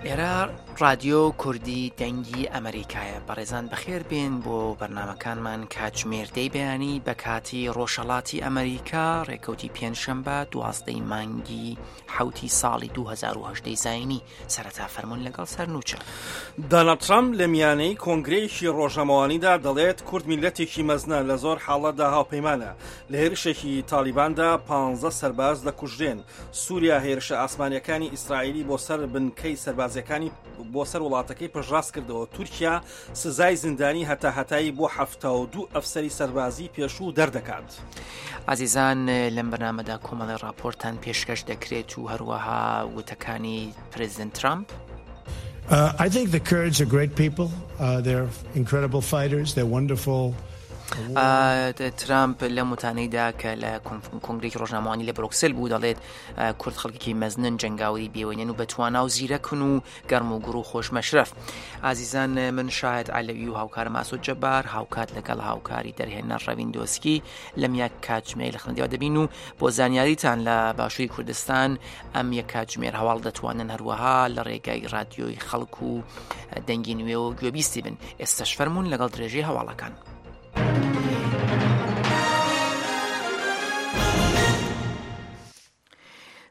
ئێرە ڕادیۆ کوردی دەنگی ئەمریکایە بەڕێزان بەخێر بێن بۆ بەرنمەکانمان کاتژمێر دەی بەیانی بە کاتی ڕۆژهەڵاتی ئەمریکا ڕێکەوتی پێنجشەمبە دوازدەی مانگی حوتی ساڵی 2010 زینی سەرەتا فەرمونون لەگەڵ سەرنوچە. داناڵد ترەمپ لە میانەی کۆنگرەیەکی ڕۆژنامەوانیدا دەڵێت کورد میللەتێکی مەزنە لە زۆر حاڵەتدا هاوپەیمانە. لە هێرشێکی تاڵیباندا پانزە سەرباز دەکوژرێن. سوریا هێرشە ئاسمانیەکانی ئیسرائیلی بۆ سەر بنکەی سەربازیەکانی بۆ سەر وڵاتەکەی پشتڕاست کردەوە. تورکیا سزای زیندانی هەتاهەتایی بۆ 72 ئەفسەری سەربازی پێشوو دەردەکات. ئازیزان لەم بەرنامەدا کۆمەڵی ڕاپۆرتان پێشکەش دەکرێت و هەروەها وتەکانی پرزیدنت ترامپ. Uh, I think the Kurds are great people. Uh, they're incredible fighters. They're wonderful. ترامپ لەم وتانەیدا کە لە کۆنگرێکی ڕۆژنامەوانی لە برۆکسل بوو دەڵێت کورد خەڵکێکی مەزنن جەنگاوری بێوێنن و بەتوانا و زیرەکن و گەرم و گوڕ و خۆش مەشرەف. ئازیزان من شاهد عەلەوی و هاوکارم ئاسۆ جەبار هاوکات لەگەڵ هاوکاری دەرهێنەر ڕەوین دۆسکی لەم یەک کاتژمێر لە خزمەتیەوە دەبین و بۆ زانیاریتان لە باشووری کوردستان ئەم یەک کاتژمێر هەواڵ دەتوانن هەروەها لە ڕێگای رادیۆی خەڵک و دەنگی نوێ و گوێبیستی بن ئێستاش فەرمونون لەگەڵ درێژەی هەواڵەکان.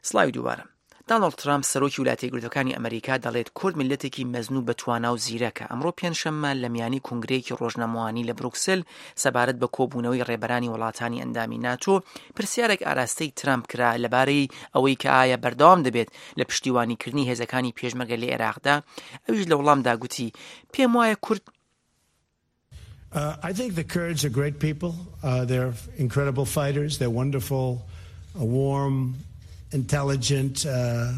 سڵاوی دووبارە. دانۆڵد ترامپ سەرۆکی ولاتە یەکگرتووەکانی ئەمریکا دەڵێت کورد میللەتێکی مەزن و بەتوانا و زیرەکە. ئەمڕۆ پێنجشەممە لە میانی کۆنگرەیەکی ڕۆژنامەوانی لە بروکسل سەبارەت بە کۆبوونەوەی ڕێبەرانی وڵاتانی ئەندامی ناتۆ پرسیارێک ئاراستەی ترامپ کرا لەبارەی ئەوەی کە ئایا بەردەوام دەبێت لە پشتیوانیکردنی هێزەکانی پێشمەرگە لە عێراقدا ئەویش لە وەڵامدا گوتی پێم وایە کورد Uh, I think the Kurds are great people. Uh, they're incredible fighters. They're wonderful, uh, warm, intelligent uh,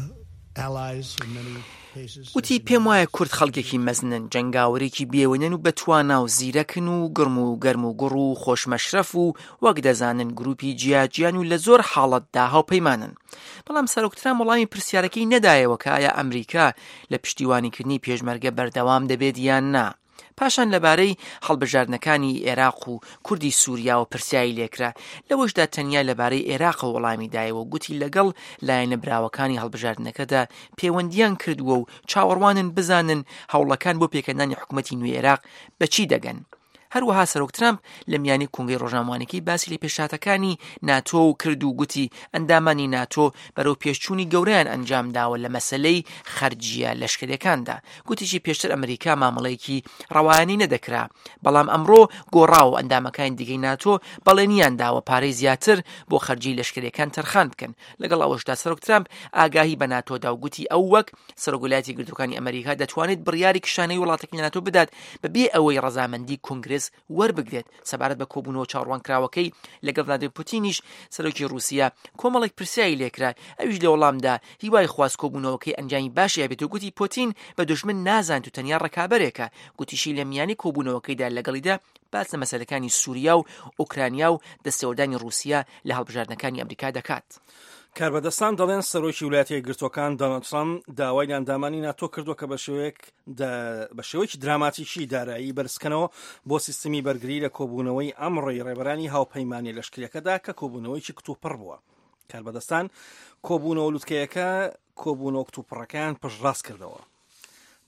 allies in many cases. وتی پێم وایە کورد خەڵکێکی مەزنن، جەنگاوەرێکی بێوێنەن و بەتوانا و زیرەکن و گڕم و گەرم و گوڕ و خۆشمەشرەف و وەک دەزانن گروپی جیاجیان و لە زۆر حاڵەتدا هاوپەیمانن. بەڵام سەرۆک ترامپ وەڵامی پرسیارەکەی نەدایەوە کە ئایا ئەمریکا لە پشتیوانیکردنی پێشمەرگە بەردەوام دەبێت یان نا. پاشان لەبارەی هەڵبژاردنەکانی ئێراق و کوردی سووریاوە پرسیاری لێکرا، لەوەشدا تەنیا لەبارەی ئێراقەوە وەڵامی دایەوە و گوتی لەگەڵ لایەنە براوەکانی هەڵبژاردنەکەدا پێوەندییان کردووە و چاوەڕوانن بزانن هەوڵەکان بۆ پێکهێنانی حکومەتی نوێی ئێراق بە چی دەگەن. هەروەها سەرۆک ترامپ لە میانی کۆنگرەی ڕۆژنامەوانیەکەی باسی لە پێشهاتەکانی ناتۆ و کرد و گوتی ئەندامانی ناتۆ بەرەو پێشچوونی گەورەیان ئەنجام داوە لە مەسەلەی خەرجییە لەشکریەکاندا. گوتیشی پێشتر ئەمریکا مامەڵەیەکی ڕەوایانی نەدەکرا، بەڵام ئەمڕۆ گۆڕاوە و ئەندامەکانی دیکەی ناتۆ بەڵێنیان داوە پارەی زیاتر بۆ خەرجیی لەشکریەکان تەرخان بکەن. لەگەڵ ئەوەشدا سەرۆک ترامپ ئاگاهی بە ناتۆ دا و گوتی ئەو وەک سەرۆک ویلایەتی یەکگرتووەکانی ئەمریکا دەتوانێت بڕیاری کشانەوەی وڵاتەکەی لە ناتۆ بدات بەبێ ئەوەی ڕەزامەندی کۆنگرێس وەربگرێت. سەبارەت بە کۆبوونەوە چاوەڕوانکراوەکەی لەگەڵ ڤلادیمیر پوتینیش سەرۆکی ڕووسیا کۆمەڵێک پرسیاری لێکرا، ئەویش لە وەڵامدا هیوای خواست کۆبوونەوەکەی ئەنجامی باشی هەبێت و گوتی پوتین بە دوژمن نازانێت و تەنیا ڕکابەرێکە. گوتیشی لە میانی کۆبوونەوەکەیدا لەگەڵیدا باس لە مەسەلەکانی سووریا و ئۆکرانیا و دەستێوەردانی ڕووسیا لە هەڵبژاردنەکانی ئەمریکا دەکات. کاربەدەستان دەڵێن سەرۆکی ویلایەتە یەکگرتووەکان دۆناڵد ترەمپ داوای لە ئەندامانی ناتۆ کردووە کە بە شێوەیەک بە شێوەیەکی دراماتیکی دارایی بەرزکەنەوە بۆ سیستمی بەرگری لە کۆبوونەوەی ئەمڕۆی ڕێبەرانی هاوپەیمانیە لەشکریەکەدا کە کۆبوونەوەیەکی کتوپڕ بووە. کاربەدەستان کۆبوونەوە لوتکەیەکە کۆبوونەوە کتوپڕەکەیان پشتڕاست کردەوە.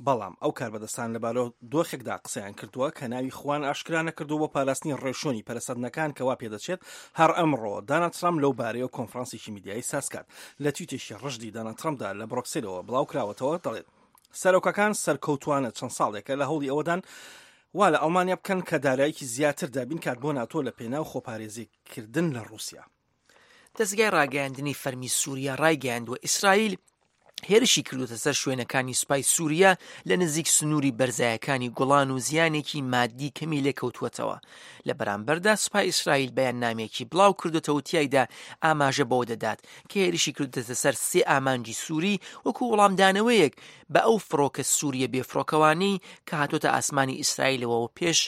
بەڵام ئەو کاربەدەستان لە بارودۆخێکدا قسەیان کردووە کە ناوی خوان ئاشکرا نەکردووە بۆ پاراستنی ڕێوشوێنی پەرەسەندنەکان کە وا پێدەچێت هەر ئەمڕۆ داناڵد ترامپ لەو بارەیەوە کۆنفرانسێکی میدیایی سازکات. لە تویتێکی ڕژدی داناڵد ترامپدا لە برۆکسێلەوە بڵاوکراوەتەوە دەڵێت سەرۆکەکان سەرکەوتوانە چەند ساڵێکە لە هەوڵی ئەوەدان وا لە ئەڵمانیا بکەن کە دارایەکی زیاتر دابین کات بۆ ناتۆ لە پێناو خۆپارێزیکردن لە ڕووسیا. دەزگای ڕاگەیاندنی فەرمی سووریا ڕایگەیاندووە، ئیسرائیل هێرشی کردووەتە سەر شوێنەکانی سوپای سووریا لە نزیک سنووری بەرزایەکانی گوڵان و زیانێکی مادی کەمی لێکەوتووەتەوە. لە بەرامبەردا سوپای ئیسرائیل بەیاننامەیەکی بڵاو کردووەتەوە و تیایدا ئاماژە بەوە دەدات کە هێرشی کردووەتە سەر سێ ئامانجی سووری وەکو وەڵامدانەوەیەک بە ئەو فڕۆکە سوورییە بێفڕۆکەوانەی کە هاتووەتە ئاسمانی ئیسرائیلەوە و پێش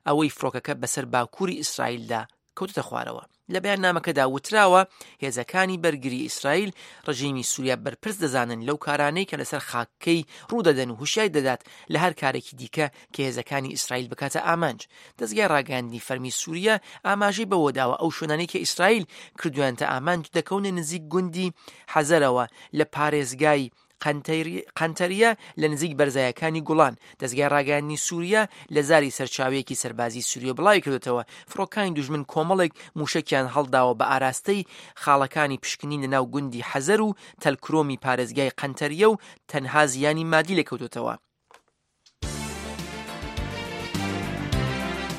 ئەوەی فڕۆکەکە بەسەر باکووری ئیسرائیلدا کەوتووتە خوارەوە. لە بەیاننامەکەدا وتراوە، هێزەکانی بەرگری ئیسرائیل ڕژێمی سوریا بەرپرس دەزانن لەو کارانەی کە لەسەر خاکەکەی ڕوودەدەن و هوشیاری دەدات لە هەر کارێکی دیکە کە هێزەکانی ئیسرائیل بکاتە ئامانج. دەزگای ڕاگەیاندنی فەرمی سوریا ئاماژەی بەوەداوە ئەو شوێنانەی کە ئیسرائیل کردویانتە ئامانج دەکەونە نزیک گوندی حەزەرەوە لە پارێزگای قەنتەریە لە نزیک بەرزایەکانی گوڵان. دەزگای ڕاگەیاندنی سوریا لە زاری سەرچاوەیەکی سەربازی سوریە بڵاویکردۆتەوە، فڕۆکانی دوژمن کۆمەڵێک موشەکیان هەڵداوە بە ئاراستەی خاڵەکانی پشکنین لە ناو گوندی حەزەر و تەلکرۆمی پارێزگای قەنتەریە و تەنها زیانی مادی لێکەوتۆتەوە.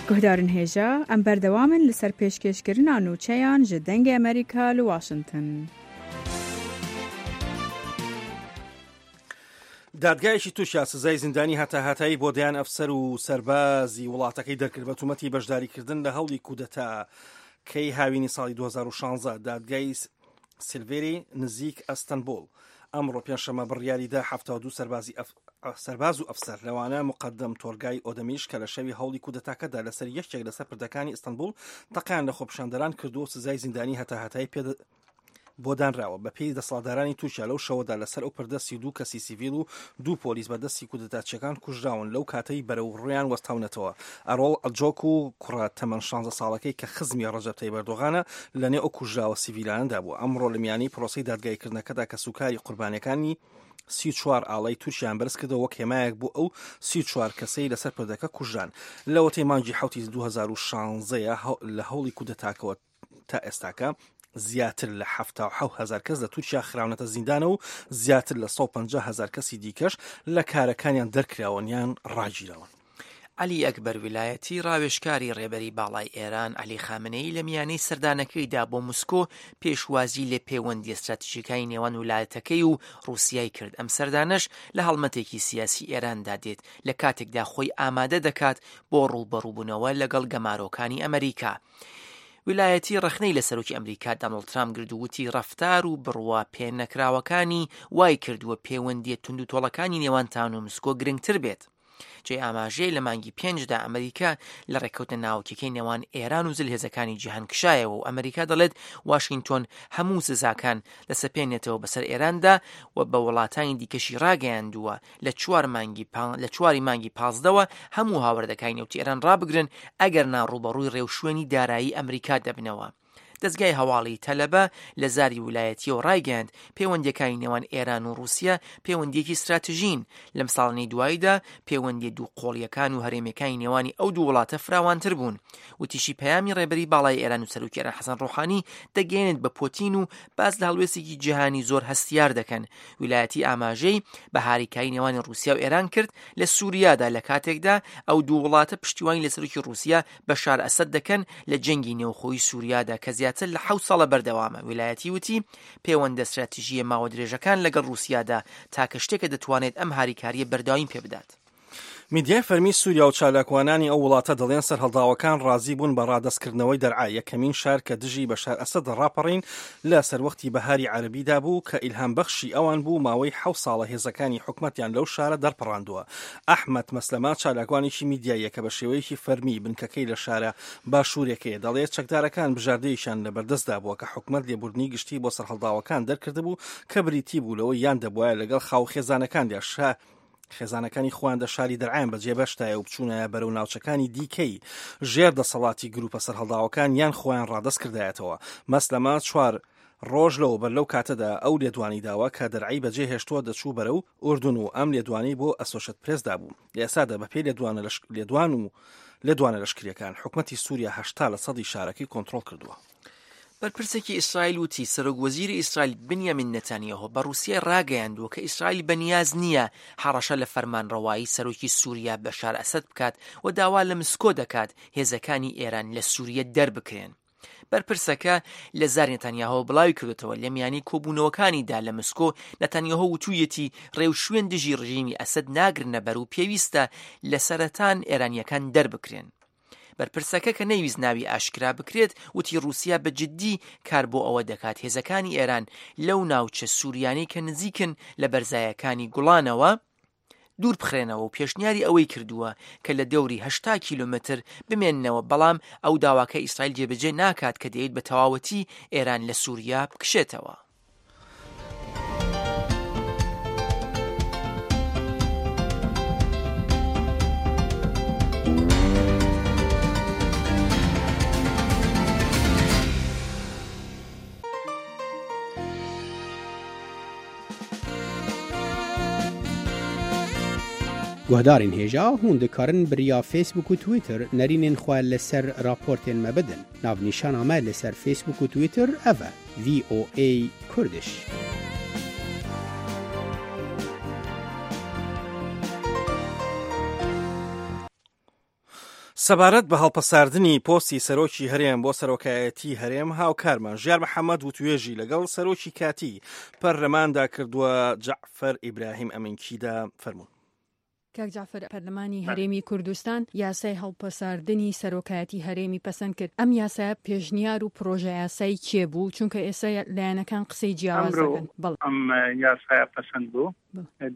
Guhdarên hêja, em berdewam in li ser pêşkêşkirina nûçeyan ji Dengê Amerîka li Washington. دادگایەکی تورکیا سزای زیندانی هەتاهەتایی بۆ دەیان ئەفسەر و سەربازی وڵاتەکەی دەرکرد بە تومەتی بەشداریکردن لە هەوڵی کودەتاکەی هاوینی ساڵی 2016. دادگای سیلڤێری نزیک ئەستەنبوڵ ئەمڕۆ پێنجشەممە بڕیاریدا 72 سەربازی سەرباز و ئەفسەر لەوانە مقدم تۆرگای ئۆدەمیش کە لە شەوی هەوڵی کودەتاکەدا لەسەر یەکێک لەسەر پردەکانی ئیستەنبوڵ تەقیان لە خۆپیشاندەران کردووە و سزای زیندانی هەتاهەتایی پێ بۆ دانراوە. بەپێی دەسەڵاتدارانی تورکیا لەو شەوەدا لەسەر ئەو پردە 32 کەسی سیڤیل و دوو پۆلیس بە دەستی کودەتاچیەکان کوژراون لەو کاتەی بەرەو ڕوویان وەستاونەتەوە. ئەرۆڵ ئەجۆک و کوڕە تەمەن 16 ساڵەکەی کە خزمی ڕەجەب تەیب ئەردۆغانە لەنێو ئەو کوژراوە سیڤیلانەدا بووە. ئەمڕۆ لە میانەی پرۆسەی دادگاییکردنەکەدا کەسوکاری قوربانیەکانی 34 ئاڵای تورکیان بەرزکردەوە وەک هێمایەک بۆ ئەو 34 کەسەی لەسەر پردەکە کوژران. لەوەتەی مانگی حوتی 2016 لە هەوڵی کودەتاکەوە تا ئێستاکە زیاتر لە 77 هەزار کەس لە تورکیا خراونەتە زیندانە و زیاتر لە 150 هەزار کەسی دیکەش لە کارەکانیان دەرکراون یان ڕاگیراون. عەلی ئەکبەر ویلایەتی، ڕاوێژکاری ڕێبەری باڵای ئێران عەلی خامنەیی لە میانەی سەردانەکەیدا بۆ مسکۆ پێشوازی لە پەیوەندییە ستراتیژیەکانی نێوان ولایەتەکەی و ڕووسیای کرد، ئەم سەردانەش لە هەڵمەتێکی سیاسی ئێراندا دێت لە کاتێکدا خۆی ئامادە دەکات بۆ ڕووبەڕووبوونەوە لەگەڵ گەمارۆکانی ئەمەریکا. ویلایەتی ڕەخنەی لە سەرۆکی ئەمریکا دانۆڵد ترامپ گرت و وتی ڕەفتار و بڕوا پێنەکراوەکانی وای کردووە پەیوەندییە توندوتۆڵەکانی نێوان تان و مسکۆ گرنگتر بێت. جێی ئاماژەیە لە مانگی پێنجدا ئەمریکا لە ڕێککەوتنە ناوکیەکەی نێوان ئێران و زلهێزەکانی جیهان کشایەوە و ئەمریکا دەڵێت واشینگتۆن هەموو سزاکان دەسەپێنێتەوە بەسەر ئێراندا و بە وڵاتانی دیکەشی ڕاگەیاندووە لە چوار مانگی لە چواری مانگی پازدەوە هەموو هاوردەکانی نەوتی ئێران ڕابگرن ئەگەر نا ڕووبەڕووی ڕێوشوێنی دارایی ئەمریکا دەبنەوە. دەزگای هەواڵی تەلەبە لە زاری ولایەتیەوە ڕایگەیاند، پەیوەندیەکانی نێوان ئێران و ڕووسیە پەیوەندیەکی ستراتژین، لەم ساڵانەی دواییدا پەیوەندیە دوو قۆڵیەکان و هەرێمیەکانی نێوانی ئەو دوو وڵاتە فراوانتر بوون. وتیشی پەیامی ڕێبەری باڵای ئێران و سەرۆکی ئێران حەسەن ڕۆحانی دەگەیەنێت بە پۆتین و باس لە هەڵوێستێکی جیهانی زۆر هەستیار دەکەن. ویلایەتی ئاماژەی بە هاریکاری نێوانی ڕووسیا و ئێران کرد لە سووریادا لە کاتێکدا ئەو دوو وڵاتە پشتیوانی لە سەرۆکی ڕووسیا بەشار ئەسەد دەکەن لە جەنگی نێوخۆی سووریادا کە زیاتر لە حەوت ساڵە بەردەوامە. ویلایەتی وتی پێوەندە ستراتیژییە ماوە درێژەکان لەگەڵ ڕووسیادا تاکە شتێکە دەتوانێت ئەم هاریکارییە بەردەوامی پێبدات. میدیای فەرمی سووریا و چالاکوانانی ئەو وڵاتە دەڵێن سەرهەڵداوەکان ڕازی بوون بە ڕادەستکردنەوەی دەرعا، یەکەمین شار کە دژی بەشار ئەسەد ڕاپەڕین لە سەروەختی بەهاری عەرەبیدا بوو کە ئیلهامبەخشی ئەوان بوو، ماوەی حەوت ساڵە هێزەکانی حکومەتیان لەو شارە دەرپەڕاندووە. ئەحمەد مەسلەمە چالاکوانێکی میدیاییە کە بە شێوەیەکی فەرمی بنکەکەی لە شارە باشوورێکەیە، دەڵێت چەکدارەکان بژاردەیەکیان لەبەردەستدا بووە کە حکومەت لێبوردنی گشتی بۆ سەرهەڵداوەکان دەرکردبوو کە بریتی بوو لەوەی یان دەبوایە لەگەڵ خاووخێزانەکاندا شا خێزانەکانی خۆیان دە شاری دەرعایان بەجێ بەشتایە و بچوونایە بەرەو ناوچەکانی دیکەی ژێر دەسەڵاتی گروپە سەرهەڵداوەکان یان خۆیان ڕادەست کردایەتەوە. مەسلەمە چوار ڕۆژ لەوەبەر لەو کاتەدا ئەو لێدوانی داوە کە دەرعای بەجێ هێشتووە دەچوو بەرەو ئوردون و ئەم لێدوانەی بۆ ئەسۆشێت پرێس دابوو. لە ئێستادا بەپێی لێدوانە لێدوان و لێدوانە لەشکرییەکان حکومەتی سووریا 80 لە سەدی شارەکەی کۆنترۆڵ کردووە. بەرپرسێکی ئیسرائیل وتی، سەرۆک وەزیری ئیسرائیل بنیامین نەتانیاهۆ بە ڕووسیای ڕاگەیاندووە کە ئیسرائیل بەنیاز نییە هەڕەشە لە فەرمانڕەوایی سەرۆکی سووریا بەشار ئەسەد بکات و داوا لە مسکۆ دەکات هێزەکانی ئێران لە سووریە دەربکرێن. بەرپرسەکە لە زاری نەتانیاهۆ بڵاوی کردوێتەوە لە میانی کۆبوونەوەکانیدا لە مسکۆ نەتانیاهۆ وتوویەتی ڕێوشوێن دژی ڕژیمی ئەسەد ناگرنەبەر و پێویستە لە سەرەتان ئێرانییەکان دەربکرێن. بەرپرسەکە کە نەیویست ناوی ئاشکرا بکرێت وتی ڕووسیا بە جددی کار بۆ ئەوە دەکات هێزەکانی ئێران لەو ناوچە سووریانەی کە نزیکن لە بەرزایەکانی گوڵانەوە دوور بخرێنەوە و پێشنیاری ئەوەی کردووە کە لە دەوری 80 کیلۆمەتر بمێننەوە، بەڵام ئەو داواکە ئیسرائیل جێبەجێ ناکات کە دەیەوێت بە تەواوەتی ئێران لە سوریا بکشێتەوە. Guhdarên hêja hûn dikarin bi riya Facebook û Twitter nerînên xwe li ser raportên me bidin. Navnîşana me li ser Facebook û Twitter ev e, VOA Kurdish. سەبارەت بە هەڵپەساردنی پۆستی سەرۆکی هەرێم بۆ سەرۆکایەتی هەرێم هاوکارمان ژیار محەممەد وتوێژی لەگەڵ سەرۆکی کاتی پەرلەماندا کردووە جەعفەر ئیبراهیم ئەمینکیدا فەرموون. کاک جەعفەر پەرلەمانی هەرێمی کوردستان یاسای هەڵپەساردنی سەرۆکایەتی هەرێمی پەسەند کرد، ئەم یاسایە پێشنیار و پرۆژەیاسای کێ بوو؟ چونکە ئێستا لایەنەکان قسەی جیاواز ئەمرۆ دەکەن. بەڵێ. ئەم یاسایە پەسەند بوو،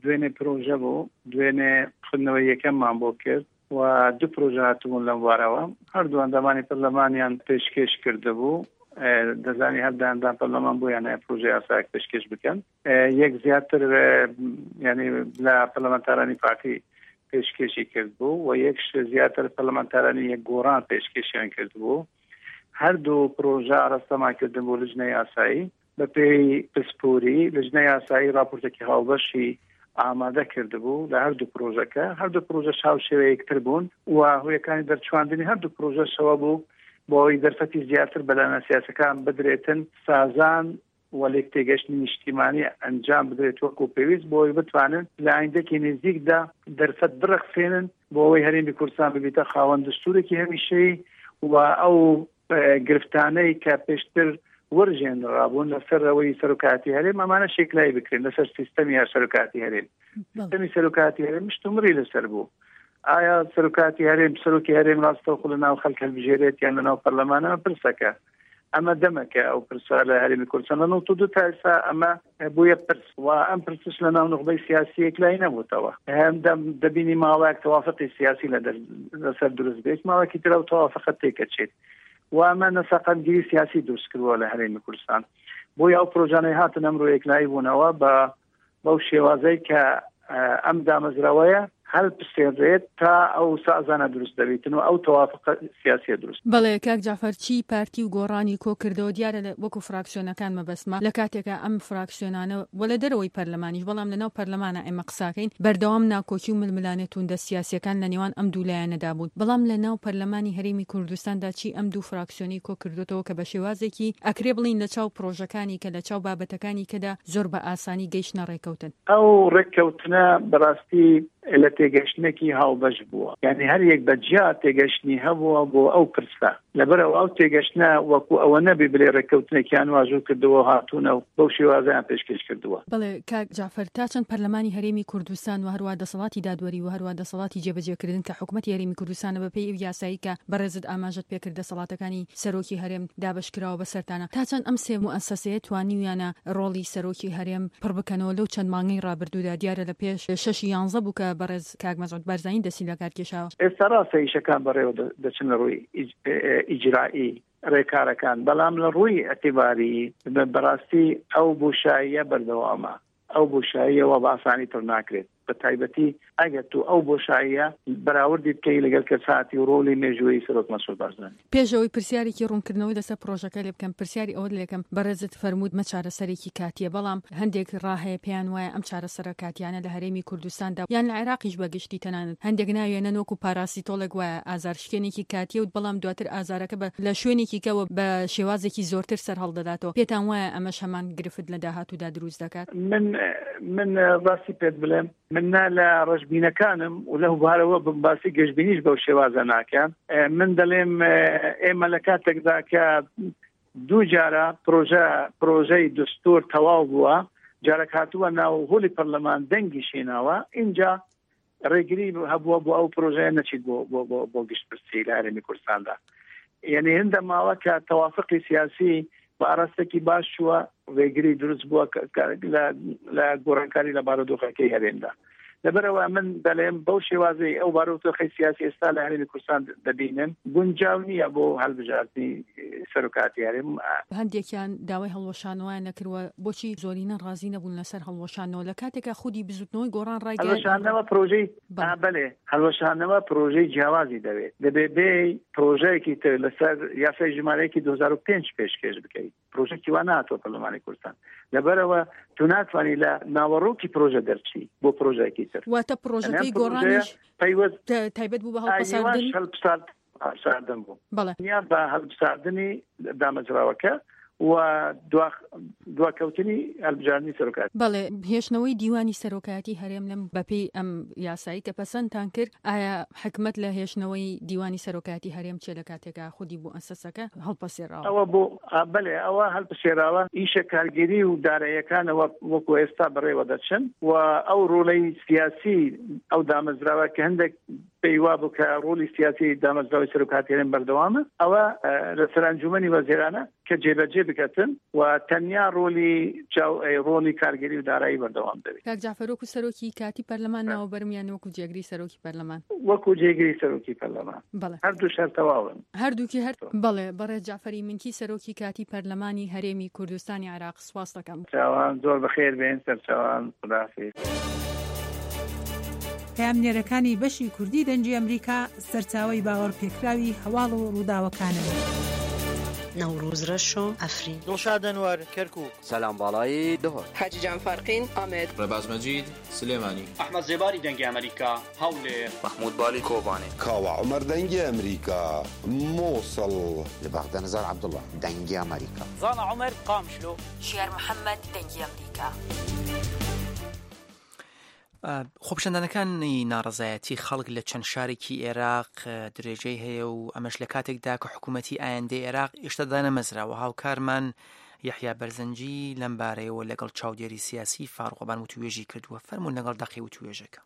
دوێنێ پرۆژە بوو، دوێنێ خوێندنەوەی یەکەممان بۆ کرد و دوو پرۆژە هاتبوون لەم بارەوە، هەردوو ئەندامانی پەرلەمانیان پێشکێش کردبوو، دەزانی هەر دە ئەندام پەرلەمان بۆیان هەیە پرۆژە یاسایەک پێشکێش بکەن. یەک زیاتر ینی لە پەرلەمانتارانی پارتی پێشکێشی کرد بوو و یەکش زیاتر پەرلەمانتارانی یەک گۆڕان پێشکێشیان کرد بوو هەردوو پرۆژە ئاراستەمان کردن بۆ لجنە یاسایی بەپێی پسپۆری لجنە یاسایی راپۆرتێکی هاوبەشی ئامادە کردبوو لە هەردوو پرۆژەکە هەردوو پرۆژە هاوشێوە یەکتر بوون و هۆیەکانی دەرچواندنی هەردوو پرۆژەشەوە بوو بۆ ئەوەی دەرفەتی زیاتر بەلایەنە سیاسەکان بدرێتن سازان و لێکتێگەشتنی نیشتیمانی ئەنجام بدرێت وەکو پێویست بۆ ئەوەی بتوانن لە ئایندەکی نزیکدا دەرفەت بڕەخسێنن بۆ ئەوەی هەرێمی کوردستان ببیتە خاوەن دستورێکی هەمیشەیی و ئەو گرفتانەی کە پێشتر ورژێنرابوون لەسەر ئەوەی سەرۆکاتی هەرێم ئەمانە شێکلای بکرێن لەسەر سیستەمی هەر سەرۆکاتی هەرێم سیستەمی سەرۆکاتی هەرێم مشتومڕی لەسەر بوو ئایا سەرۆکاتی هەرێم سەرۆکی هەرێم ڕاستەوخۆ لە ناو خەڵک هەلبژێرێت یان لە ناو پەرلەمانە پرسەکە ئەمە دەمەکە ئەو پرسە لە هەرێمی کوردستان لە 92 تا ئێستا ئەمە بوویە پرس و ئەم پرسش لە ناو نوخبەی سیاسی یەکلایی نەبووتەوە هەندەم دەبینی ماوەیەک تەوافقی سیاسی لە لەسەر دروست بێت ماوەکی تر ئەو تەوافقە تێکەچێت و ئەمە نەسەقامگیری سیاسی دروست کردووە لە هەرێمی کوردستان بۆیە ئەو پرۆژانەی هاتن ئەمڕۆ یەکلایی بوونەوە بە بەو شێوازەی کە ئەم دامەزراوەیە هەلپسێنرێت تا ئەو سازانە دروست دەبیتن و ئەو تەوافقە سیاسیە دروست. بەڵێ کاک جەعفەر چی پارتی و گۆڕانی کۆ کردەوە دیارە لە وەکو فراکسیۆنەکان مەبەستمە لە کاتێکا ئەم فراکسیۆنانە وە لە دەرەوەی پەرلەمانیش بەڵام لە ناو پەرلەمانا ئێمە قساکەین بەردەوام ناکۆکی و ململانێ توندە سیاسیەکان لە نێوان ئەم دوو لایەنەدا بوون بەڵام لە ناو پەرلەمانی هەرێمی کوردستاندا چی ئەم دوو فراکسیۆنەی کۆ کردۆتەوە کە بە شێوازێکی ئەکرێ بڵێین لە چاو پرۆژەکانی کە لە چاو بابەتەکانی کەدا زۆر بە ئاسانی گەیشتنە ڕێکەوتن. ئەو ڕێککەوتنە بەڕاستی لە تێگەشتنێکی هاوبەش بووە، یانی هەر یەک بە جیا تێگەشتنی هەبووە بۆ ئەو پرسە، لەبەرئەوە ئەو تێگەشتنە وەکوو ئەوە نەبی بلێ ڕێککەوتنێکیان واژوو کردووە و هاتوونە و بەو شێوازەیان پێشکێش کردووە. بەڵێ کاک جەعفەر، تا چەند پەرلەمانی هەرێمی کوردستان و هەروا دەسەڵاتی دادوەری و هەروا دەسەڵاتی جێبەجێکردن کە حکومەتی هەرێمی کوردستانە بە پێی ئەو یاسایەی کە بەڕێزت ئاماژەت پێکرد دەسەڵاتەکانی سەرۆکی هەرێم دابەشکراوە بەسەرتانە، تا چەند ئەم سێ موئەسەسەیە توانیویانە ڕۆڵی سەرۆکی هەرێم پڕ بکەنەوە لەو چەند مانگەی ڕابردوودا، دیارە لە پێش شەشی یانزە بوو کە بەڕێز کاک مەسعود بارزانی دەستی لەکار کێشاوە. ئێستا ڕاستە ئیشەکان بەڕێوە دەچن لە ڕووی ئیجرایی ڕێکارەکان، بەڵام لە ڕووی ئیعتیباری بەڕاستی ئەو بۆشاییە بەردەوامە. ئەو بۆشاییە وا بە ئاسانی پڕ ناکرێت، بە تایبەتی ئەگەر تۆ ئەو بۆشاییە بەراوردی بکەی لەگەڵ کەساتی و ڕۆڵی مێژوویی سەرۆک مەسعود بارزانی. پێش ئەوەی پرسیارێکی ڕوونکردنەوەی لەسەر پڕۆژەکە لێ بکەم، پرسیاری ئەوەت لێ کەم، بەڕێزت فەرمووت مە چارەسەرێکی کاتییە، بەڵام هەندێک ڕا هەیە پێیان وایە ئەم چارەسەرە کاتییانە لە هەرێمی کوردستاندا یان لە عێراقیش بە گشتی تەنانەت هەندێک ناوێنن وەکو پاراسیتۆڵێک وایە ئازارشکێنێکی کاتییە و بەڵام دواتر ئازارەکە بە لە شوێنێکی کەوە بە شێوازێکی زۆرتر سەرهەڵدەداتەوە، پێتان وایە ئەمەش هەمان گرفت لە داهاتوودا دروست دەکات؟ من من ڕاستی پێت بڵێم من نا لە ڕەشبینەکانم و لەو بارەوە بم باسی گەشبینیش بەو شێوازە ناکەم من دەڵێم ئێمە لە کاتێکدا کە دوو جارە پرۆژە پرۆژەی دستور تەواو بووە جارێک هاتووە ناو هۆلی پەرلەمان دەنگی شێناوە اینجا ڕێگری هەبووە بۆ ئەو پرۆژەیە نەچیت بۆ بۆ بۆ بۆ گشتپرسی لە هەرێمی کوردستاندا یعنی هندە ماوە کە تەوافقی سیاسی بە ئاراستێکی باش چووە ڕێگری دروست بووە لە گۆڕانکاری لە بارودۆخەکەی هەرێمدا. لەبەرئەوە من دەلێم بەو شێوازەی ئەو بارودۆخەی سیاسی ئێستا لە هەرێمی کوردستان دەبینن گونجاو نییە بۆ هەلبژاردنی سەرۆکاتی هەرێم. هەندێکیان داوای هەڵوەشانەوەیان نەکردوە، بۆچی زۆرینە ڕازی نەبوون لەسەر هەڵوەشاندنەوە لە کاتێکا خودی بزوتنەوەی گۆڕان ڕایگەیاند هەڵوەشاندنەوە پرۆژەی بەلێ هەڵوەشاندنەوە پرۆژەی جیاوازی دەوێت، دەبێ بێی پرۆژەیەکی تر لەسەر یاسای ژمارەیەکی 2005 پێشکێش بکەی. پرۆژەکی وا نهاتوە پەرلەمانی کوردستان لەبەرەوە تو ناتوانانی لە ناوەڕۆکی پرۆژە دەرچی بۆ پرۆژێکی تر واتە پرۆژەکەی گۆڕانیش پەیوەست تایبەت بوو بە هەڵپەساردن هەڵپساردن بوو بەڵێ بە هەڵپساردنی دامەزراوەکە و دواکەوتنی هەڵبژاردنی سەرۆکایەتی. بەڵێ هێشتنەوەی دیوانی سەرۆکایەتی هەرێم لەم بەپێی ئەم یاسایی کە پەسەندتان کرد ئایا حکمت لە هێشتنەوەی دیوانی سەرۆکایەتی هەرێم چیە لە کاتێکا خودی موئەسەسەکە هەڵپەسێراوە؟ ئەوە بۆ بەلێ ئەوە هەلپسێراوە ئیشە کارگێری و داراییەکانەوە وەکو ئێستا بەڕێوە دەچن و ئەو ڕۆلەی سیاسی ئەو دامەزراوە کە هەندێک پێی وابوو کە ڕۆلی سیاسی دامەزراوەی سەرۆکایەتی هەرێم بەردەوامە ئەوە لەسەر ئەنجومەنی وەزیرانە کە جێبەجێ بکەتن و تەنیا ڕۆلی چاو ڕۆلی کارگێری و دارایی بەردەوام دەبێت. کاک جەعفەر وەکو سەرۆکی کاتی پەرلەمان ناوەبەرم یان وەکو جێگری سەرۆکی پەرلەمان؟ وەکو جێگری سەرۆکی پەرلەمان. بەڵێ. هەردووش هەر تەواون. هەردووکی هەر بەڵێ. بەڕێز جەعفەری منکی سەرۆکی کاتی پەرلەمانی هەرێمی کوردستانی عێراق سوپاست دەکەم. چاوان زۆر بەخێر بێن سەرچاوان خوداحافیز. پەیامنێرەکانی بەشی کوردی دەنگی ئەمریکا سەرچاوەی باوەڕپێکراوی هەواڵ و ڕووداوەکانن. نەوڕوز رەشۆ، عەفرین. دڵشاد ئەنوەر، کەرکووک. سەلام باڵایی، دهۆک. حاجی جان فارقین، ئامەد. ڕێباز مەجید، سلێمانی. ئەحمەد زێباری دەنگی ئەمەریکا، هەولێر. مەحمود بالی، کۆبانێ. کاوە عومەر دەنگی ئەمریکا، موسڵ. لە بەغدا نزار عەبدوڵا، دەنگی ئەمریکا. زانا عومەر، قامیشلۆ. ژیار محەمەد، دەنگی ئەمریکا. خۆپیشاندانەکانی ناڕەزایەتی خەڵک لە چەند شارێکی ئێراق درێژەی هەیە و ئەمەش لە کاتێکدا کە حکوومەتی ئایندەی ئێراق ئێشتا دانەمەزراوە هاوکارمان یەحیا بەرزنجی لەم بارەیەوە لەگەڵ چاودێری سیاسی فاروق وتوێژی کردووە فەرموون لەگەڵ دەقی وتوێژەکە.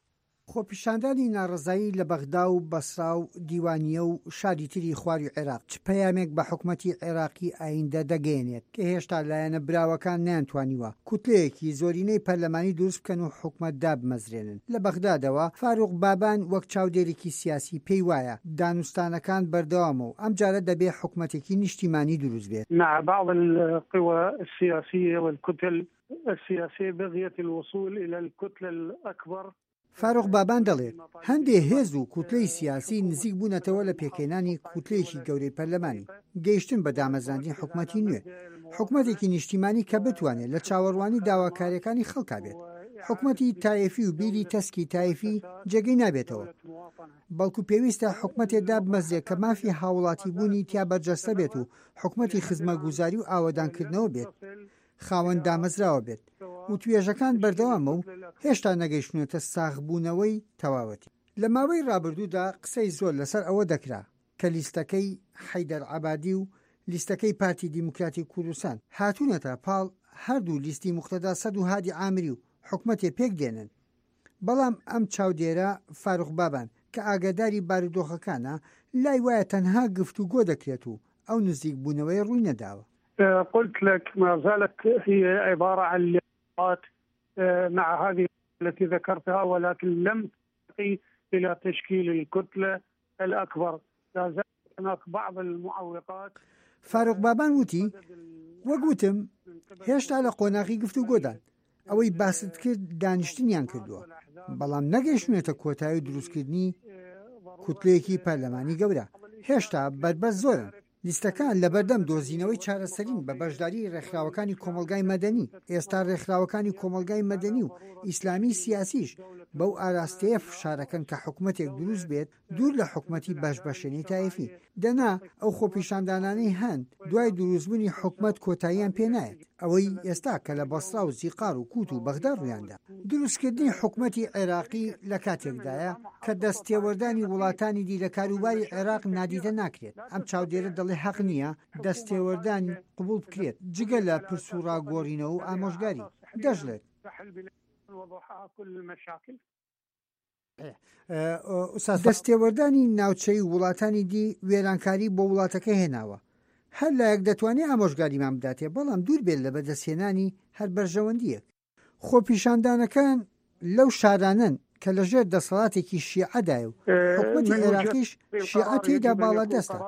خۆپیشاندانی ناڕەزایی لە بەغدا و بەسرا و دیوانیە و شاری تری خواروی عێراق چ پەیامێک بە حکومەتی عێراقی ئایندە دەگەیەنێت کە هێشتا لایەنە براوەکان نەیانتوانیوە کوتلەیەکی زۆرینەی پەرلەمانی دروست بکەن و حکومەت دابمەزرێنن. لە بەغدادەوە فاروق بابان وەک چاودێرێکی سیاسی پێی وایە دانوستانەکان بەردەوامە و ئەمجارە دەبێ حکومەتێکی نیشتیمانی دروست بێت. مع بعض القوى السیاسیە والکتل السیاسیە بغیە الوصول الی الکتلە الاکبر. فاروق بابان دەڵێت، هەندێ هێز و کوتلەی سیاسی نزیک بوونەتەوە لە پێکهێنانی کوتلەیەکی گەورەی پەرلەمانی، گەیشتن بە دامەزراندنی حکومەتی نوێ، حکومەتێکی نیشتیمانی کە بتوانێت لە چاوەڕوانی داواکارییەکانی خەڵکا بێت. حکومەتی تایەفی و بیری تەسکی تایفی جێگەی نابێتەوە، بەڵکو پێویستە حکومەتێ دابمەزرێ کە مافی هاوڵاتیبوونی تیا بەرجەستە بێت و حکومەتی خزمەتگوزاری و ئاوەدانکردنەوە بێت. خاوەن دامەزراوە بێت، وتوێژەکان بەردەوامە و هێشتا نەگەیشتوونەتە ساغبوونەوەی تەواوەتی. لە ماوەی رابردوودا قسەی زۆر لەسەر ئەوە دەکرا کە لیستەکەی حەیدەر عەبادی و لیستەکەی پارتی دیموکراتی کوردستان هاتوونەتە پاڵ هەردوو لیستی موقتەدا سەد و هادی عامری و حکومەتێ پێکدێنن، بەڵام ئەم چاودێرە فاروق بابان کە ئاگاداری بارودۆخەکانە لای وایە تەنها گفتوگۆ دەکرێت و ئەو نزیکبوونەوەیە ڕووی نەداوە. قلت لك ما زالت هي عبارة عن لقاءات مع هذه التي ذكرتها ولكن لم ترتقي إلى تشكيل الكتلة الأكبر لا زال هناك بعض المعوقات فاروق بابان وتی، وەک وتم هێشتا لە قۆناغی گفتوگۆدان، ئەوەی باست کرد دانیشتنیان کردووە، بەڵام نەگەیشتوونەتە کۆتایی و دروستکردنی کوتلەیەکی پەرلەمانی گەورە، هێشتا بەربەست زۆرن. لیستەکان لەبەردەم دۆزینەوەی چارەسەرین بە بەشداریی ڕێکخراوەکانی کۆمەڵگای مەدەنی، ئێستا ڕێکخراوەکانی کۆمەڵگای مەدەنی و ئیسلامی سیاسیش بەو ئاراستەیە فشارەکەن کە حکومەتێک دروست بێت دوور لە حکومەتی بەش بەشێنەی تایفی، دەنا ئەو خۆپیشاندانانەی هەن دوای دروستبوونی حکومەت کۆتاییان پێ نایەت، ئەوەی ئێستا کە لە بەسڕا و زیقار و کووت و بەغدا ڕوویاندا. دروستکردنی حکومەتی عێراقی لە کاتێکدایە کە دەستتێوەردانی وڵاتانی دی لە کاروباری عێراق نادیدە ناکرێت، ئەم چاودێرە دەڵێ هەق نییە دەستتێوەردان قبوڵ بکرێت جگە لە پرس و ڕا گۆڕینەوە و ئامۆژگاری. دەشڵێت. دەستێوەردانی ناوچەیی و وڵاتانی دی وێرانکاری بۆ وڵاتەکە هێناوە. هەر لایەک دەتوانێ ئامۆژگاریمان بداتێ، بەڵام دوور بێت لە بەدەستهێنانی هەر بەرژەوەندییەک. خۆپیشاندانەکان لەو شارانەن کە لەژێر دەسەڵاتێکی شیعەدایە و حکومەتی عێراقیش شیعە تێیدا باڵادەستە،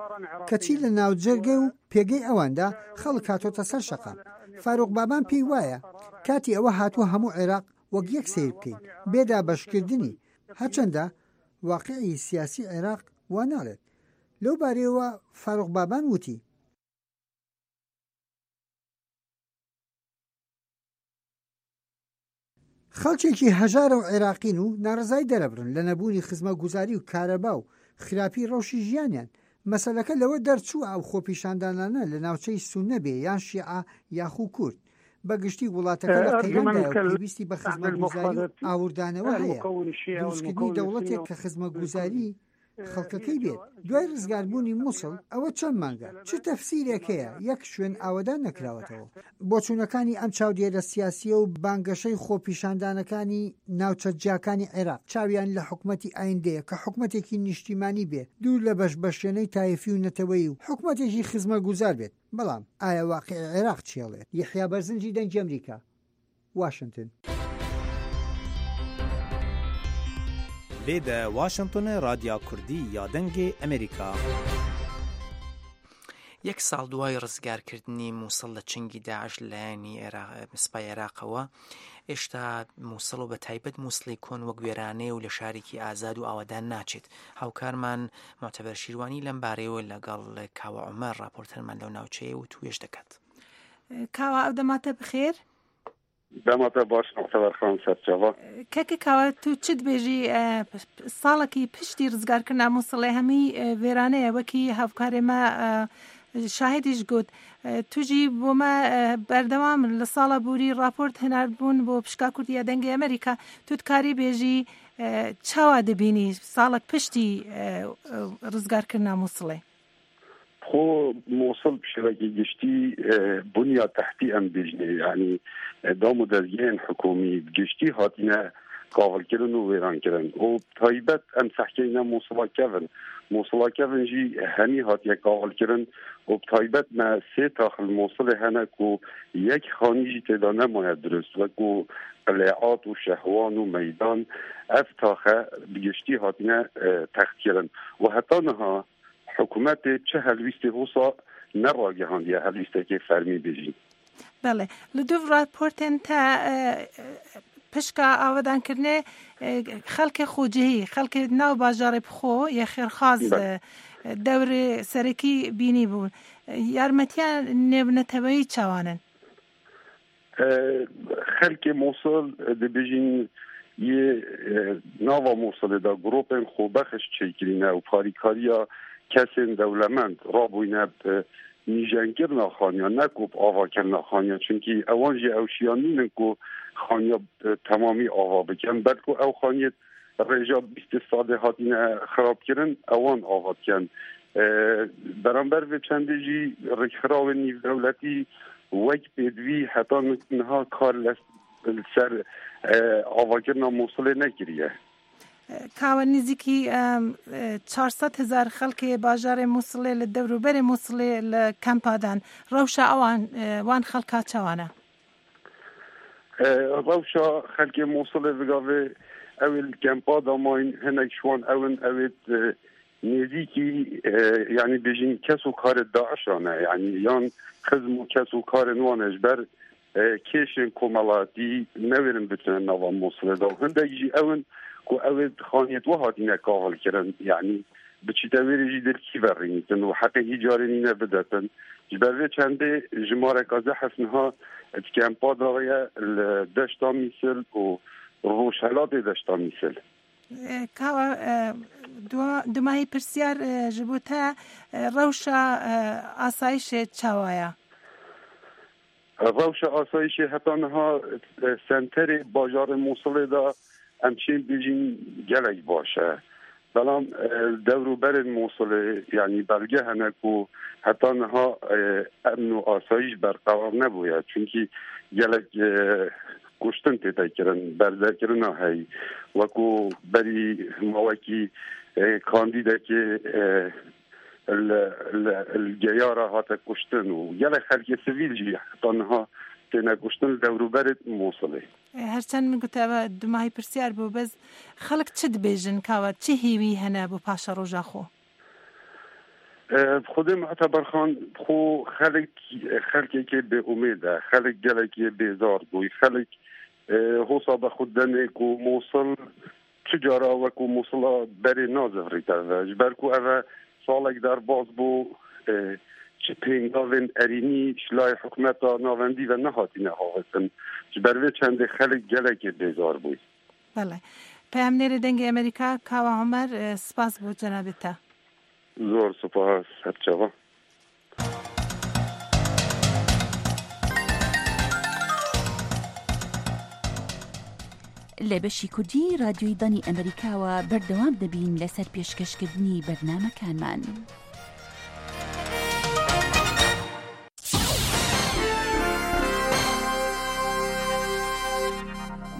کەچی لە ناوجەرگە و پێگەی ئەواندا خەڵک هاتۆتە سەر شەقام. فاروق بابان پێی وایە کاتی ئەوە هاتووە هەموو عێراق وەک یەک سەیر بکەین، بێ دابەشکردنی، هەرچەندە واقیعی سیاسی عێراق وا ناڵێت. لەو بارەیەوە فاروق بابان وتی. خەڵکێکی هەژارە و عێراقین و ناڕەزایی دەرەبڕن لە نەبوونی خزمەتگوزاری و کارەبا و خراپی ڕەوشی ژیانیان، مەسەلەکە لەوە دەرچووە ئەو خۆپیشاندانانە لە ناوچەی سوننە بێ یان شیعە یاخو کورد، بە گشتی وڵاتەکە لە قەیراندایە و پێویستی بە خزمەتگوزاری و ئاوردانەوە هەیە، دروستکردنی دەوڵەتێک کە خزمەتگوزاری خەڵکەکەی بێت دوای ڕزگاربوونی موسڵ ئەوە چەند مانگە چ تەفسیرێک هەیە یەک شوێن ئاوەدان نەکراوەتەوە؟ بۆچوونەکانی ئەم چاودێرە سیاسییە و بانگەشەی خۆپیشاندانەکانی ناوچە جیاکانی عێراق چاویان لە حکومەتی ئایندەیە کە حکومەتێکی نیشتیمانی بێ دوور لە بەش بەشێنەی تایفی و نەتەوەیی و حکومەتێکی خزمەتگوزار بێت بەڵام ئایا واقیعی عێراق چیەڵێت؟ یەحیا بەرزنجی دەنگی ئەمریکا واشنتن. Lê de Washingtonê Radya Kurdî ya Dengê Amerîka. یەک ساڵ دوای ڕزگارکردنی مووسڵ لە چنگی داعش لەلایەنی سوپای عێراقەوە ئێشتا مووسڵ و بە تایبەت مووسڵی کۆن وەک وێرانەیە و لە شارێکی ئازاد و ئاوادان ناچێت هاوکارمان معتەبەر شیروانی لەم بارەیەوە لەگەڵ کاوە عومەر ڕاپۆرتەرمان لەو ناوچەیە و توێژ دەکات. کاوە ئەو دەماتە بخێر. دەماتە باش معتەبەر خان سەرچاوە. کەکە کاوە تو چ دبێژی ساڵەکی پشتی ڕزگارکردنا موسڵێ هەمی وێرانەیە وەکی هاوکارێ مە شاهدیش گوت توژی بۆ مە بەردەوام لە ساڵە بوری ڕاپۆرت هەناردبوون بۆ پشکا کوردیە دەنگی ئەمریکا تو دکاری بێژی چاوا دبینی ساڵک پشتی ڕزگارکردنا موسڵێ؟ خۆ موسڵ bi şêwekî giştî bunya tehtî em bêjinê yanî dam û dezgehên hikûmî bi giştî hatine kavilkirin û wêrankirin û bi taybet em sehkeyne Mûsila kevin. Mûsila kevin jî hemî hatiye kavilkirin û bi taybet me sê tax li Mûsilê hene ku yek xanî jî tê de nemaye dirust wekû Qilêat û Şehwan û Meydan ev taxe bi giştî hatine textkirin û heta niha Hikûmetê çi helwîstê wisa neragihandiye helwîstekê fermî bêjîn. Belê. Li dûv raportên te pişka avedankirinê xelkê xwecihî, xelkê nav bajarê bi xwe yê xêrxwaz dewrê serekî bînî bûn. Yarmetiya nêvneteweyî çawan in? Xelkê Mûsil dibêjin yê nava Mûsilê de grûpên xwebexiş çêkirîne û parîkariya kesên dewlemend rabûyne bi nîjenkirina xaniya ne ku bi avakirina xaniya çunkî ewan jî ew şiyan nînin ku xaniya bi temamî ava bikin belku ew xaniyê Rêja 20 salê hatine xirabkirin ewan ava dikin. Beramber vê çendê jî rêkxirawên nîvdewletî wek pêdivî heta niha kar li ser avakirina Mûsilê nekiriye. Kawe nêzîkî 400 hezar xelkê bajarê Mûsilê li dewrûberê Mûsilê li kampa dan. Rewşa ewan wan xelka çawan e? Rewşa xelkê Mûsilê vi gavê ew ê li kempa de mayîn hinek ji wan ew in ew ê nêzîkî yanî bêjin kes û karê DAIŞa ne yanî yan xizm û kes û karên wan e ji ber kêşên komelatî newêrin biçine nava Mûsilê de û hindek jî ew in ku ew ê xaniyê we hatine kavilkirin yanî Biçîte wêrê jî dê li kî ve rînîtin û heqê îcarê nîne bidetin. Ji ber vê çendê jimareka zehf niha di kempa de ye li deşta Mîsil û rojhelatê deşta Mîsil. Kawa dumahî pirsyar ji bo te rewşa asayişê çawa ye? Rewşa asayîşê heta niha senterê bajarê Mûsilê de em çên bêjîn gelek baş e. Belam dewr û berên Mûsilê yanî belge hene ku heta niha emn û asayîş berqerar nebûye. Çunkî gelek kuştin tête kirin, berdekirina heyî. Wekû berî mawekî kandîdekê li li Geyara hate kuştin û gelek xelkê sivîl jî heta niha تێنە کوشتن لە دەوروبەرێت مووسڵێ. هەرچەند من گوتە ئەوە دوماهی پرسیار بوو بەس خەڵک چ دبێژن کاوە چ هیوی هەنە بۆ پاشەڕۆژا خۆ؟ خودێ معتەبەر خان خۆ خەلک خەلکێکێ بێ ئومێدە خەلک گەلەکێ بێزار بووی خەلک هۆسا بە خود دەنێک و مووسڵ چ جارا وەکو مووسڵا بەرێ نازڤریتەڤ ji ber ku ev salek derbas bû çi pêngavên erînî ji layê hikûmeta navendî ve nehatine havitin ji ber vê çendê xelk gelekê bêzar bûy. بەڵێ. پەیامنێری دەنگی ئەمەریکا کاوە عومەر سپاس بۆ جەنابت تە. زۆر سوپاس سەرچاوە. لە بەشی کوردی رادیۆی دەنگی ئەمەریکاوە بەردەوام دەبین لەسەر پێشکەشکردنی بەرنامەکانمان.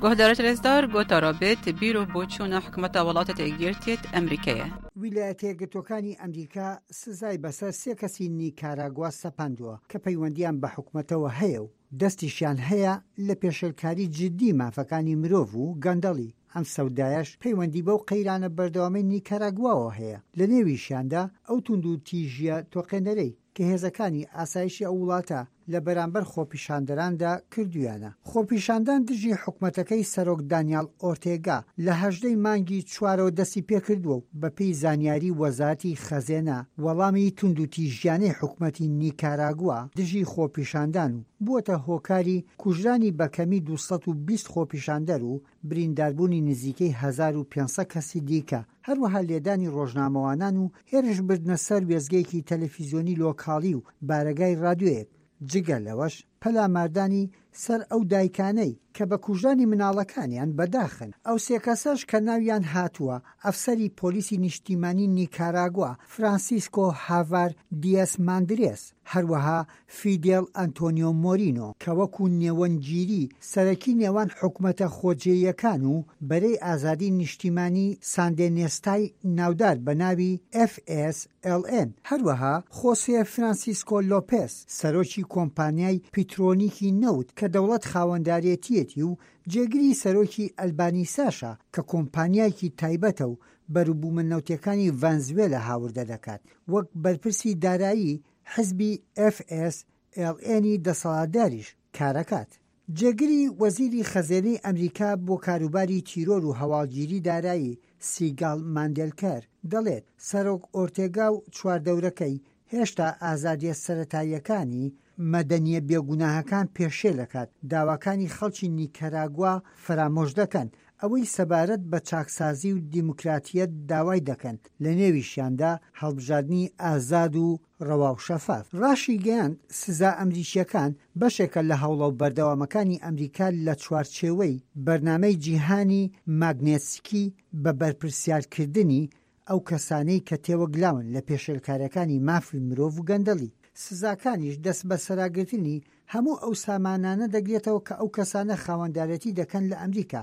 گۆهدارت رێزدار گۆتارا بێت بیر و بۆچوونە حکومەتە وڵاتە یەکگرتیت ئەمریکەیە. ویلایەتە یەکگرتووەکانی ئەمریکا سزای بەسەر سێ کەسی نیکاراگوا سەپاندووە کە پەیوەندییان بە حکومەتەوە هەیە و دەستیشیان هەیە لە پێشێلکاری جددی مافەکانی مرۆڤ و گەندەڵی، ئەم سەودایەش پەیوەندی بەو قەیرانە بەردەوامەی نیکاراگواوە هەیە، لەنێویشیاندا ئەو توندوتیژییە تۆقێنەرەی کە هێزەکانی ئاسایشی ئەو وڵاتە لە بەرامبەر خۆپیشاندەراندا کردوویانە. خۆپیشاندان دژی حکومەتەکەی سەرۆک دانیاڵ ئۆرتێگا لە 18 ی مانگی چوارەوە دەستی پێکردووە و بەپێی زانیاری وەزارەتی خەزێنە وەڵامی توندوتیژیانەی حکومەتی نیکاراگوا دژی خۆپیشاندان و بووەتە هۆکاری کوژرانی بەکەمی 220 خۆپیشاندەر و برینداربوونی نزیکەی 1500 کەسی دیکە، هەروەها لێدانی ڕۆژنامەوانان و هێرشبردنە سەر وێستگەیەکی تەلەفیزیۆنی لۆکاڵی و بارەگای ڕادیۆیەک، جگە لەوەش پەلاماردانی سەر ئەو دایکانەی کە بە کوژرانی مناڵەکانیان بەداخن. ئەو سێ کەسەش کە ناویان هاتووە، ئەفسەری پۆلیسی نیشتیمانی نیکاراگوا فرانسیسکۆ هاڤار دیەس ماندرێس، هەروەها فیدێڵ ئەنتۆنیۆ مۆرینۆ کە وەکو نێوەندگیری سەرەکی نێوان حکومەتە خۆجێیەکان و بەرەی ئازادی نیشتیمانی ساندێنێستای ناودار بە ناوی FSLN، هەروەها خۆسێ فرانسیسکۆ لۆپێس سەرۆکی کۆمپانیای پیترۆنیکی نەوت کە دەوڵەت خاوەندارێتیەتی و جێگری سەرۆکی ئەلبانیساشە کە کۆمپانیایەکی تایبەتە و بەروبوومە نەوتیەکانی ڤەنزوێلا هاوردە دەکات وەک بەرپرسی دارایی حزبی ئێف ئێس ئێڵ ئێنی دەسەڵاتداریش کارەکات. جێگری وەزیری خەزێنەی ئەمریکا بۆ کاروباری تیرۆر و هەواڵگیری دارایی سیگاڵ ماندێلکەر دەڵێت سەرۆک ئۆرتێگا و چواردەورەکەی هێشتا ئازادیە سەرەتاییەکانی مەدەنیە بێگوناهەکان پێشێلەکات، داواکانی خەڵکی نیکەراگوا فەرامۆش دەکەن، ئەوەی سەبارەت بە چاکسازی و دیموکراتیەت داوای دەکەن، لەنێویشیاندا هەڵبژاردنی ئازاد و ڕەوا و شەفاف. ڕاشیگەیاند، سزا ئەمریکییەکان بەشێکە لە هەوڵە بەردەوامەکانی ئەمریکا لە چوارچێوەی بەرنامەی جیهانی ماگنێتسکی بە بەرپرسیارکردنی ئەو کەسانەی کە تێوەگلاون لە پێشێلکارییەکانی مافی مرۆڤ و گەندەڵی. سزاکانیش دەستبەسەراگرتنی هەموو ئەو سامانانە دەگرێتەوە کە ئەو کەسانە خاوەندارێتی دەکەن لە ئەمریکا،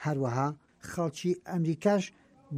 هەروەها خەڵکی ئەمریکاش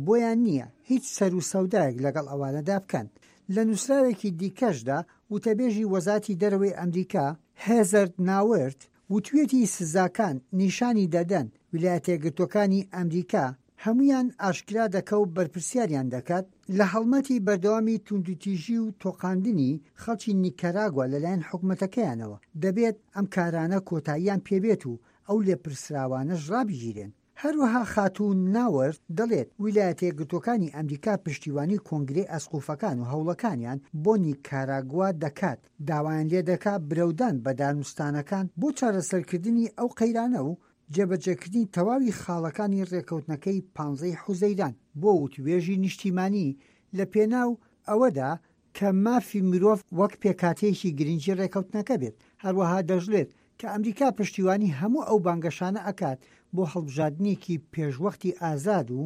بۆیان نییە هیچ سەروسەودایەک لەگەڵ ئەوانەدا بکەن. لە نووسراوێکی دیکەشدا وتەبێژی وەزاتی دەرەوەی ئەمریکا، هێزەر ناوێرت، وتویەتی سزاکان نیشانی دەدەن ویلایەتەیەکگرتووەکانی ئەمریکا هەموویان ئاشکرا دەکە و بەرپرسیاریان دەکات لە هەڵمەتی بەردەوامی توندوتیژی و تۆقاندنی خەڵکی نیکەراگوا لەلایەن حکومەتەکەیانەوە، دەبێت ئەم کارانە کۆتاییان پێبێت و ئەو لێپرسراوانەش ڕابگیرێن. هەروەها خاتوو ناوەرت دەڵێت ویلایەتەیەکگرتووەکانی ئەمریکا پشتیوانی کۆنگرەی ئەسقوفەکان و هەوڵەکانیان بۆ نیکاراگوا دەکات، داوایان لێدەکات برەودان بە دانوستانەکان بۆ چارەسەرکردنی ئەو قەیرانە و جێبەجێکردنی تەواوی خاڵەکانی ڕێکەوتنەکەی پانزەی حوزەیران بۆ وتوێژی نیشتیمانی لە پێناو ئەوەدا کە مافی مرۆڤ وەک پێکهاتەیەکی گرنگی ڕێکەوتنەکە بێت. هەروەها دەشڵێت کە ئەمریکا پشتیوانی هەموو ئەو بانگەشانە ئەکات بۆ هەڵبژاردنێکی پێشوەختی ئازاد و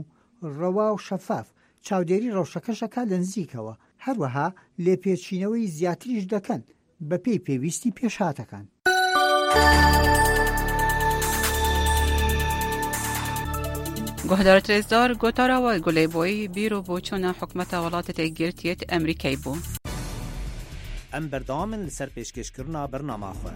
ڕەوا و شەفاف، چاودێری ڕەوشەکەش ئەکات لە نزیکەوە، هەروەها لێپێچینەوەی زیاتریش دەکەن بەپێی پێویستی پێشهاتەکان. گۆهدار رێزدار گۆتارا وە گولەی بۆی بیر و بۆچوونە حکومەتە وڵاتە یەکگرتیەت ئەمریکای بوو. Em berdewam in li ser pêşkêşkirina bernama xwe.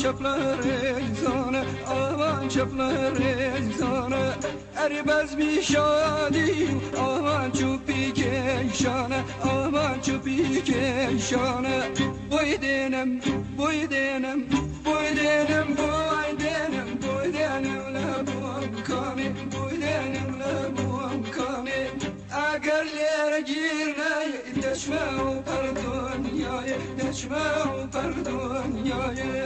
چەپڵە ڕێزانە ئاوان چەپڵە ڕێزانە ئەرێ بەزمی شادی و ئاوان چوپی کێشانە ئاوان چوپی کێشانە بۆی دێنم بۆی دێنم بۆی دێنم بۆی دێنم بۆی دێنم لە بۆم کامێ بۆی دێنم لە بۆم کامێ ئەگەر لێرە گیر نایە دەچمە ئەو پەڕ دنیایە دەچمە ئەو پەڕ دنیایە.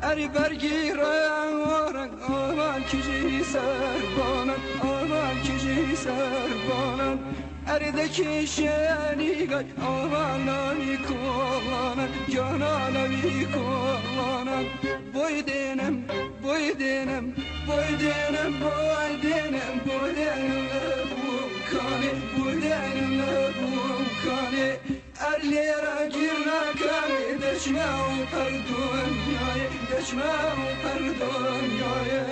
ئەری بەرگی ڕەنگ ڕەنگ ئامان کیژی سەربانن ئامان کیژی سەربانن ئەری دەکێشێنی گای ئامان ناوی کۆڵانن گیانا ناوی کۆڵانن بۆی دێنم بۆی دێنم بۆی دێنم بۆی دێنم بۆی دێنم لە بووکانێ بۆی دێنم لە بووکانێ ئەر لێرە گیر ناکەمێ دەچمە ئەو پەر دنیایێ دەچمە ئەو پەر دنیایێ.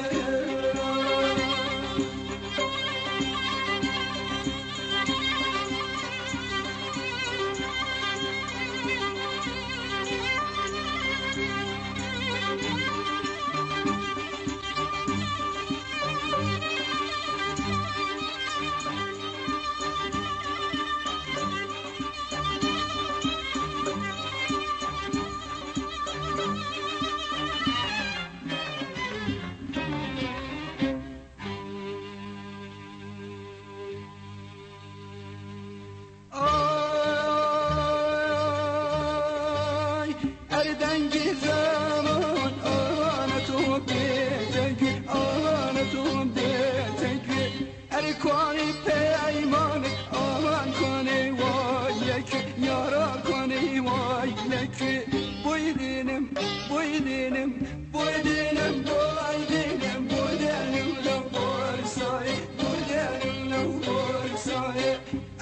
ئای ئەر دەنگی زەمان ئاوانە تۆ بێتە گوێ ئاوانە تۆ بێتە گوێ ئەر کوانی پەیمانت ئاوان کوانێ وای لەکوێ یارا کوانێ وای لەکوێ بۆی دێنم بۆی دێنم بۆی دێنم بۆی دێنم بۆی دێنم لەو بۆرسایێ بۆی دێنم لەو بۆرسایێ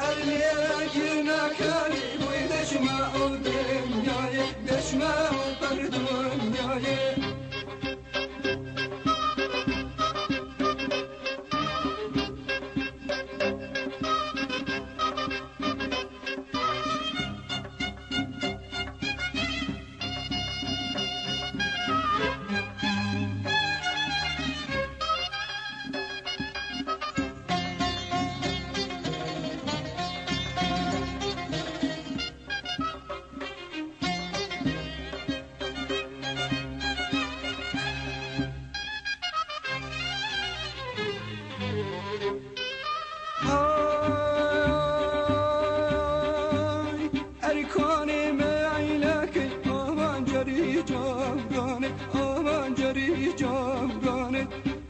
ئەر لێرە گیر ناکەوی بۆی دەچمە ئەو دنیایێ دەچمە ئەو پەر دنیایێ. های ئەری کوانێ مەیلەکەی ئامان جەری جاودانێ ئامان جەری جاودانێ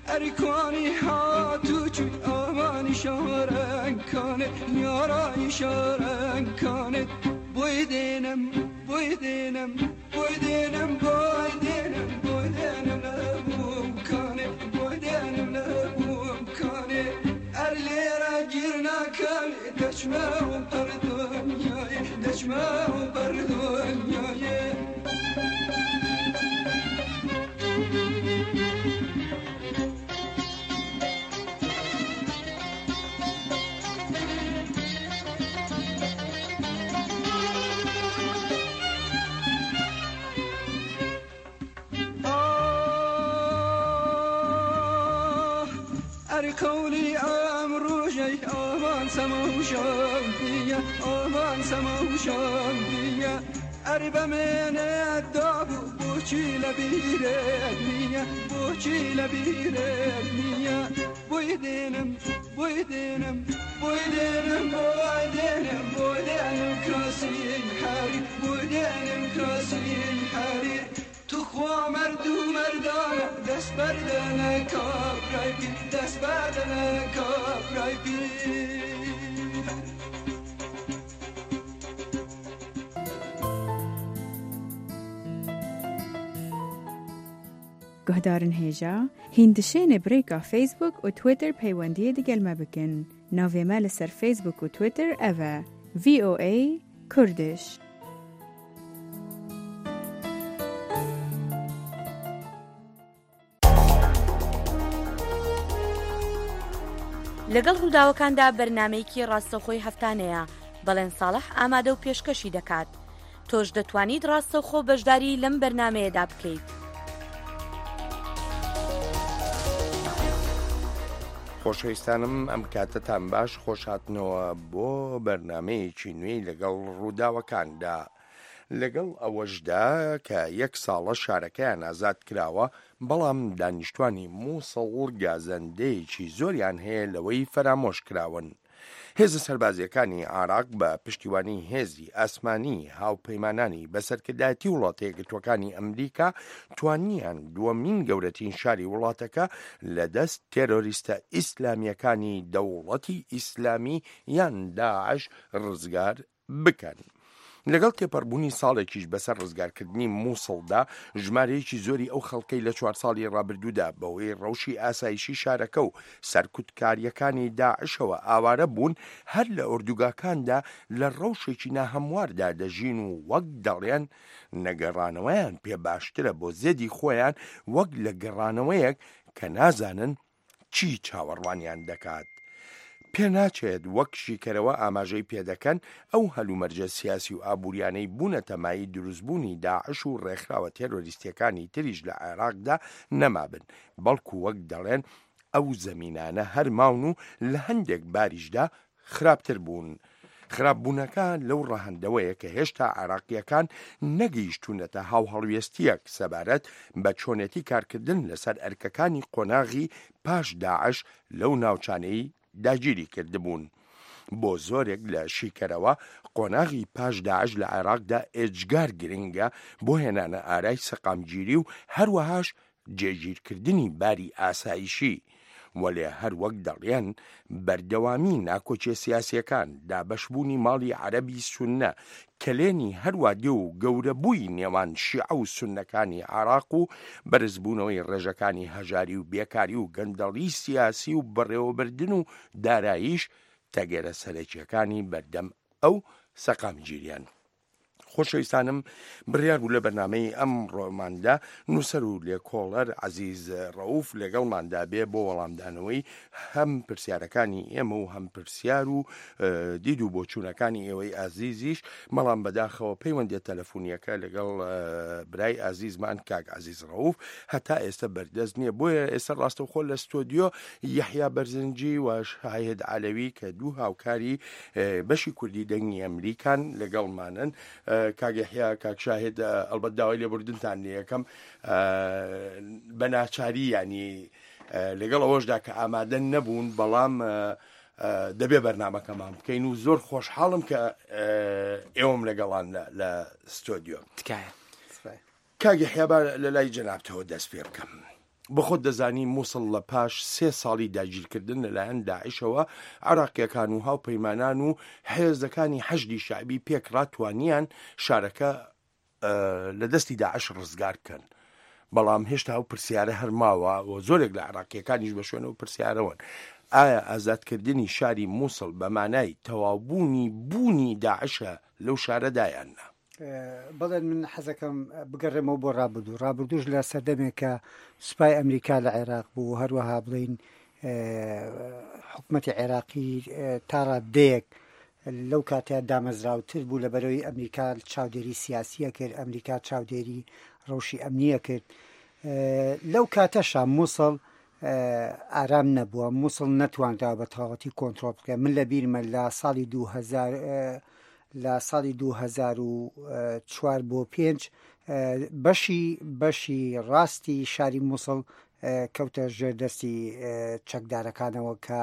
ئەری کوانی هاتوو چووی ئامانی شارەکانێ یارای شارەکانێ بۆی دێنم بۆی دێنم بۆی دێنم بۆی دێنم بۆی دێنم لە بووکانێ بۆی دێنم لە بووکانێ ئەر لێرە گیر ناکەوێ دەچمە ئەو پەر دنیایێ دەچمە ئەو پەر دنیایێ. ئاه ئەر قەولی ئەم ڕۆژەی ئامان سەما و شادیە ئامان سەما و شادیە ئەر بەمێنێت دابوو بۆچی لە بیرت نییە بۆچی لە بیرت نییە بۆی دێنم بۆی دێنم بۆی دێنم بۆی دێنم بۆی دێنم کراسی حەریر بۆی دێنم کراسی حەریر توخوا مەرد و مەردانە دەست بەردەنە کابرای پیر دەست بەردەنە کابرای پیر. Guhdarin hêja, hîn dişênê bi rêka Facebook û Twitter peywendiyê digel me bikin. Navê me li ser Facebook û Twitter ev e, VOA Kurdish. لەگەڵ ڕووداوەکاندا بەرنامەیەکی ڕاستەوخۆی هەفتانەیە، بەڵێن ساڵح ئامادە و پێشکەشی دەکات. تۆش دەتوانیت ڕاستەوخۆ بەشداری لەم بەرنامەیەدا بکەیت. خۆشەویستانم ئەم کاتەتان باش خۆشهاتنەوە بۆ بەرنمەیەکی نوێی لەگەڵ ڕووداوەکاندا. لەگەڵ ئەوەشدا کە یەک ساڵە شارەکەیان ئازاد کراوە، بەڵام دانیشتوانی موسڵ گازەندەیەکی زۆریان هەیە لەوەی فەرامۆش کراون. هێزە سەربازییەکانی عێراق بە پشتیوانی هێزی ئاسمانی هاوپەیمانانی بە سەرکردایەتی وڵاتە یەکگرتووەکانی ئەمریکا توانیان دووەمین گەورەترین شاری وڵاتەکە لە دەست تێرۆریستە ئیسلامییەکانی دەوڵەتی ئیسلامی یان داعش ڕزگار بکەن. لەگەڵ تێپەڕبوونی ساڵێکیش بەسەر ڕزگارکردنی مووسڵدا، ژمارەیەکی زۆری ئەو خەڵکەی لە چوار ساڵی ڕابردوودا بەهۆی ڕەوشی ئاسایشی شارەکە و سەرکوتکارییەکانی داعشەوە ئاوارە بوون، هەر لە ئۆردوگاکاندا لە ڕەوشێکی ناهەمواردا دەژین و وەک دەڵێن نەگەڕانەوەیان پێ باشترە بۆ زێدی خۆیان وەک لە گەڕانەوەیەک کە نازانن چی چاوەڕوانیان دەکات؟ پێناچێت وەک شیکەرەوە ئاماژەی پێدەکەن ئەو هەلومەرجە سیاسی و ئابووریانەی بوونەتە مایەی دروستبوونی داعش و ڕێکخراوە تێرۆریستیەکانی تریش لە عێراقدا نەمابن، بەڵکو وەک دەڵێن ئەو زەمینانە هەر ماون و لە هەندێک باریشدا خراپتر بوون. خراپبوونەکە لەو ڕەهەندەوەیە کە هێشتا عێراقییەکان نەگەیشتوونەتە هاوهەڵوێستییەک سەبارەت بە چۆنێتی کارکردن لەسەر ئەرکەکانی قۆناغی پاش داعش لەو ناوچانەی داگیری کردبوون. بۆ زۆرێک لە شیکەرەوە قۆناغی پاش داعش لە عێراقدا ئێجگار گرنگە بۆ هێنانە ئارای سەقامگیری و هەروەهاش جێگیرکردنی باری ئاسایشی، وەلێ هەر وەک دەڵێن بەردەوامی ناکۆکیە سیاسیەکان، دابەشبوونی ماڵی عەرەبی سوننە، کەلێنی هەروا دێ و گەورەبووی نێوان شیعە و سوننەکانی عێراق و بەرزبوونەوەی ڕێژەکانی هەژاری و بێکاری و گەندەڵی سیاسی و بەڕێوەبردن و داراییش تەگەرە سەرەکیەکانی بەردەم ئەو سەقامگیریەن. خۆشەویستانم بڕیار بوو لە بەرنامەی ئەمڕۆماندا نووسەر و لێکۆڵەر عەزیز ڕەوف لەگەڵماندا بێ بۆ وەڵامدانەوەی هەم پرسیارەکانی ئێمە و هەم پرسیار و دید و بۆچوونەکانی ئێوەی ئازیزیش بەڵام بەداخەوە پەیوەندیە تەلەفۆنیەکە لەگەڵ برای ئازیزمان کاک عەزیز ڕەوف هەتا ئێستا بەردەست نییە بۆیە ئێستا ڕاستەوخۆ لە ستۆدیۆ یەحیا بەرزنجی و شاهد عەلەوی کە دوو هاوکاری بەشی کوردی دەنگی ئەمریکان لەگەڵمانن کاک یەحیا کاک شاهد ئەڵبەت داوای لێبوردنتان لێ ئەکەم بە ناچاری ینی لەگەڵ ئەوەشدا کە ئامادە نەبوون بەڵام دەبێ بەرنمەکەمان بکەین و زۆر خۆشحاڵم کە ئێوەم لەگەڵان لە ستۆدیۆ تکایە کاک یەحیا با لە لای جەنابتەوە دەست پێ بکەم. بەخۆت دەزانی موسڵ لە پاش سێ ساڵی داگیرکردن لەلایەن داعشەوە، عێراقییەکان و هاوپەیمانان و هێزەکانی حەشدی شەعبی پێکڕا توانیان شارەکە لە دەستی داعش ڕزگار بکەن. بەڵام هێشتا ئەو پرسیارە هەر ماوە و زۆرێک لە عێراقییەکانیش بە شوێن ئەو پرسیارەوەن. ئایا ئازادکردنی شاری موسڵ بە مانای تەواوبوونی بوونی داعشە لەو شارەدا یان نا؟ بەڵێ من حەزەکەم بگەڕێمەوە بۆ ڕابردوو ڕابردووش لە سەردەمێک کە سوپای ئەمریکا لە عێراق بوو هەروەها بڵین حکوومەتی عێراقی تا ڕادەیەک لەو کاتە دامەزراوتر بوو لە بەرەوەی ئەمریکا چاودێری سیاسیە کرد ئەمریکا چاودێری ڕەوشی ئەمنیە کرد لەو کاتەشا مووسڵ ئارام نەبووە مووسڵ نەتوانراوە بە تەواوەتی کۆنترۆڵ بکرێت من لە بیرمە لە ساڵی 2000 لە ساڵی 2004 بۆ پێنج بەشی بەشی ڕاستی شاری مووسڵ کەوتە ژێر دەستی چەکدارەکانەوە کە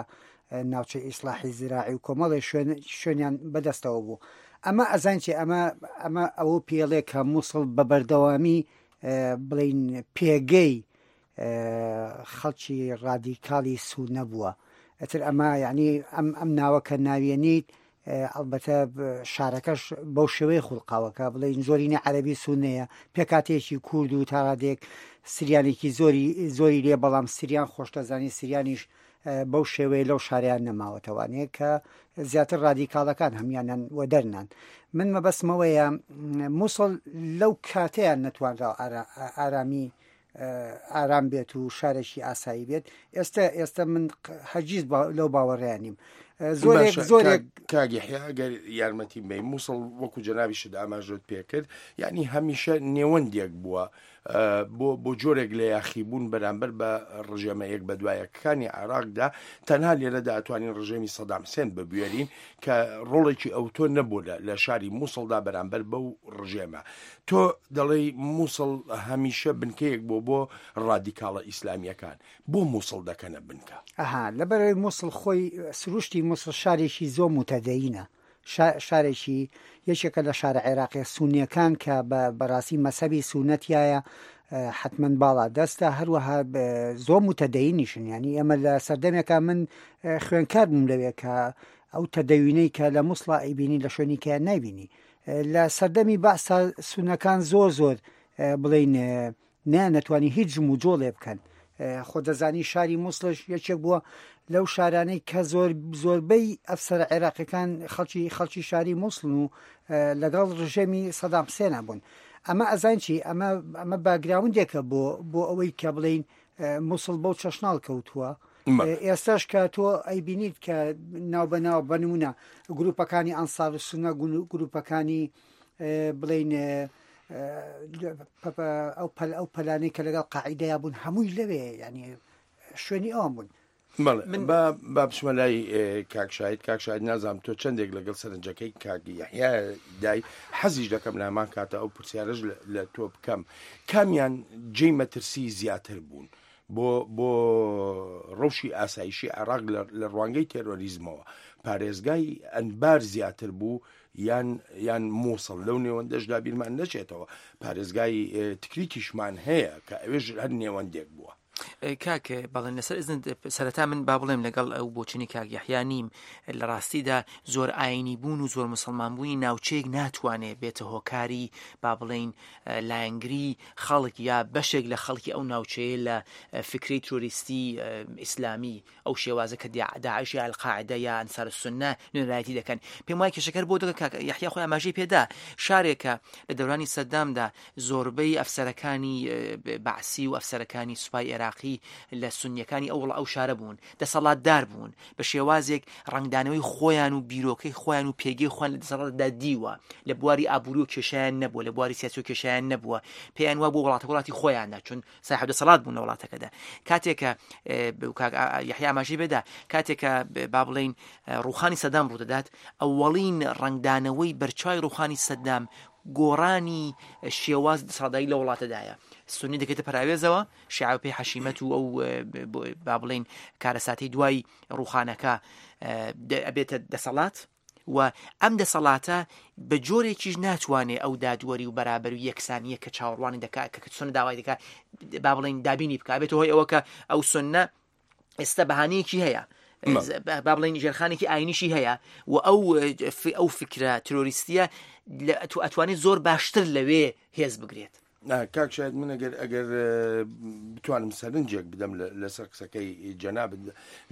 ناوچەی ئیسلاحی زراعی و کۆمەڵی شوێن شوێنیان بەدەستەوە بوو ئەمە ئەزانین چی ئەمە ئەمە ئەوە پێڵێ کە مووسڵ بە بەردەوامی بڵین پێگەی خەڵکی ڕادیکاڵی سوونە بووە ئەتر ئەمە یعنی ئەم ئەم ناوە کە ناویێنیت ئەڵبەتە شارەکەش بەو شێوەیە خوڵقاوەکە بڵێین زۆرینە عەربی سونەیە پێکاتێکی کورد و تاڕادێک سریانێکی زۆری زۆری لێ بەڵام سریان خۆشتەزانی سریانیش بەو شێوەیە لەو شاریان نەماوەتەوانەیە کە زیاتر ڕادیکاڵەکان هەموانیان وەدەرنان. من مەبەستمەوەیە موسڵ لەو کاتەیان نەتوانرا ئارامی ئارام بێت و شارێکی ئاسایی بێت ئێستا ئێستا من هەرگیز لەو باوەڕیان نیم زۆرێک زۆرێک کاک یەحیا ئەگەر یارمەتی بەی موسڵ وەکو جەنابیشت ئاماژەت پێکرد یعنی هەمیشە نێوەندێک بووە بۆ بۆ جۆرێک لە یاخیبوون بەرامبەر بە ڕژێمە یەک بەدوایەکانی عێراقدا تەنها لێرەدا ئەتوانین ڕژێمی سەدام حسێن ببوێرین کە ڕۆڵێکی ئەوتۆ نەبوو لە شاری مووسڵدا بەرامبەر بەو ڕژێمە تۆ دەڵێی مووسڵ هەمیشە بنکەیەک بۆ بۆ ڕادیکاڵە ئیسلامیەکان بۆ مووسڵ دەکەنە بنکە؟ ئەها لەبەرئەوەی مووسڵ خۆی سروشتی مووسڵ شارێکی زۆر موتەدەینە شارێکی یەکێکە لە شارە عێراقیە سونیەکان کە بە بەڕاستی مەسەبی سونەتیایە حتمما باڵا دەستە هەروەها زۆر متەدەینیشن ینی ئێمە لە سەردەمێکا من خوێنکار بووم لەوێ کە ئەو تەدەوینەی کە لە موسڵا ئەیبینی لە شوێنی کە نایبینی لە سەردەمی بەعسا سونەکان زۆر زۆر بڵین نەیانەتوانی هیچ جموجۆڵێ بکەن. خۆ دەزانی شاری موسڵش یەکێک بووە لەو شارانەی کە زۆر زۆربەی ئەفسەرە عێراقیەکان خەڵکی خەڵکی شاری موسڵن و لەگەڵ ڕژێمی سەدام حسێنا بوون. ئەمە ئەزان چی ئەمە ئەمە باگراوندێکە بۆ بۆ ئەوەی کە بڵین موسڵ بەو چەشناڵ کەوتووە. ئێستاش کە تۆ ئەیبینیت کە ناو بە ناو بە نمونە گروپەکانی ئەنسار و سونە گروپەکانی بڵین ئەو پەل ئەو پەلانەی کە لەگەڵ قاعیدەیا بوون هەمووی لەوێ ینی شوێنی ئەوان بوون. بەڵێ من با با بچمە لای کاک شاهید کاک شاهید نازانم تۆ چەندێک لەگەڵ سەرنجەکەی کاک یەحیا دای حەزیش دەکەم لە هەمان کاتە ئەو پرسیارەش لە تۆ بکەم کامیان جێی مەترسی زیاتر بوون بۆ بۆ ڕەوشی ئاسایشی عێراق لە ڕوانگەی تێرۆریزمەوە پارێزگای ئەنبار زیاتر بوو یان یان موسڵ لەو نێوەندەشدا بیرمان نەچێتەوە پارێزگای تکریتیشمان هەیە کە ئەوێش هەر نێوەندێک بووە. کاک بەڵێن لەسەر ئزن سەرەتا من با بڵێم لەگەڵ ئەو بۆچونی کاک یەحیا نیم لە ڕاستیدا زۆر ئاینی بوون و زۆر مسلمان بوونی ناوچەیەک ناتوانێ بێتە هۆکاری با بڵێین لایەنگری خەڵک یا بەشێک لە خەڵکی ئەو ناوچەیە لە فکرەی ترۆریستی ئیسلامی ئەو شێوازە کە داعش یا القاعدە یا ئەنسار السنە نوێنەرایەتی دەکەن. پێم وایە کێشەکە هەر بۆ دەگە کاک یەحیا خۆی ئاماژەی پێدا شارێکە لە دەورانی سەدامدا زۆربەی ئەفسەرەکانی بەعسی و ئەفسەرەکانی سوپای عێراقی لە سونیەکانی ئەو ئەو شارە بوون دەسەڵاتدار بوون بە شێوازێک ڕەنگدانەوەی خۆیان و بیرۆکەی خۆیان و پێگەی خۆیان لە دەسەڵاتدا دیوە لە بواری ئابووری و کێشیان نەبووە لە بواری سیاسی و کێشیان نەبووە پێیان وا بۆ وڵاتە وڵاتی خۆیانە چون ساحێب دەسەڵات بوون لە وڵاتەکەدا کاتێک کە یحیا ئاماژەی بێدا کاتێک کە با بڵین ڕوخانی سەدام ڕوودەدات ئەوەڵین ڕەنگدانەوەی بەرچوی ڕوخانی سەدام گۆڕانی شێواز دەسەڵاتداری لە وڵاتەدایە سنی دەکەێتە پراوێزەوە شیعە پێی حەشیمەت و ئەو با بڵین کارەساتی دوای ڕوخانەکە ئەبێتە دەسەڵات و ئەم دەسەڵاتە بە جۆرێکیش ناتوانێ ئەو دادوەری و بەرابەری و یەکسانییە کە چاوەڕوانی دەکا کە سوننە داوای دەکا با بڵێین دابینی بکا بێتە هۆی ئەوە کە ئەو سوننە ئێستا بەهانەیەکی هەیە با بڵێین ژێرخانێکی ئاینیشی هەیە و ئەو ئەو فکرە ترۆریستیە ئەتوانێت زۆر باشتر لەوێ هێز بگرێت. کاک شاید من ئەگەر ئەگەر بتوانم سەرنجێک بدەم لەسەر قسەکەی جەنابت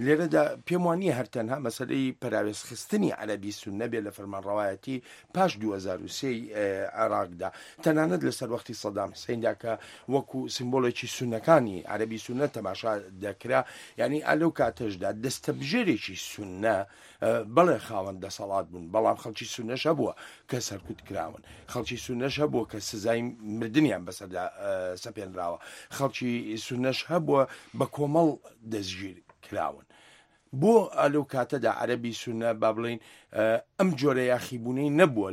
لێرەدا پێم وان نییە هەر تەنها مەسەلەی پەراوێزخستنی عەرەبی سوننە بێ لە فەرمانڕەوایەتی پاش 2023 عێراقدا تەنانەت لە سەروەختی سەدام حسیندا کە وەکو سیمبۆلێکی سوننەکانی عەرەبی سوننە تەماشا دەکرا یعنی ئا لەو کاتەشدا دەستەبژێرێکی سوننە بەڵێ خاوەن دەسەڵات بوون، بەڵام خەڵکی سوننەش هەبووە کە سەرکوت کراون، خەڵکی سوننەش هەبووە کە سزای مردنیان بەسەردا سەپێنراوە، خەڵکی سوننەش هەبووە بە کۆمەڵ دەستگیر کراون. بۆ لەو کاتەدا عەرەبی سوننە با بڵێین ئەم جۆرە یاخیبوونەی نەبووە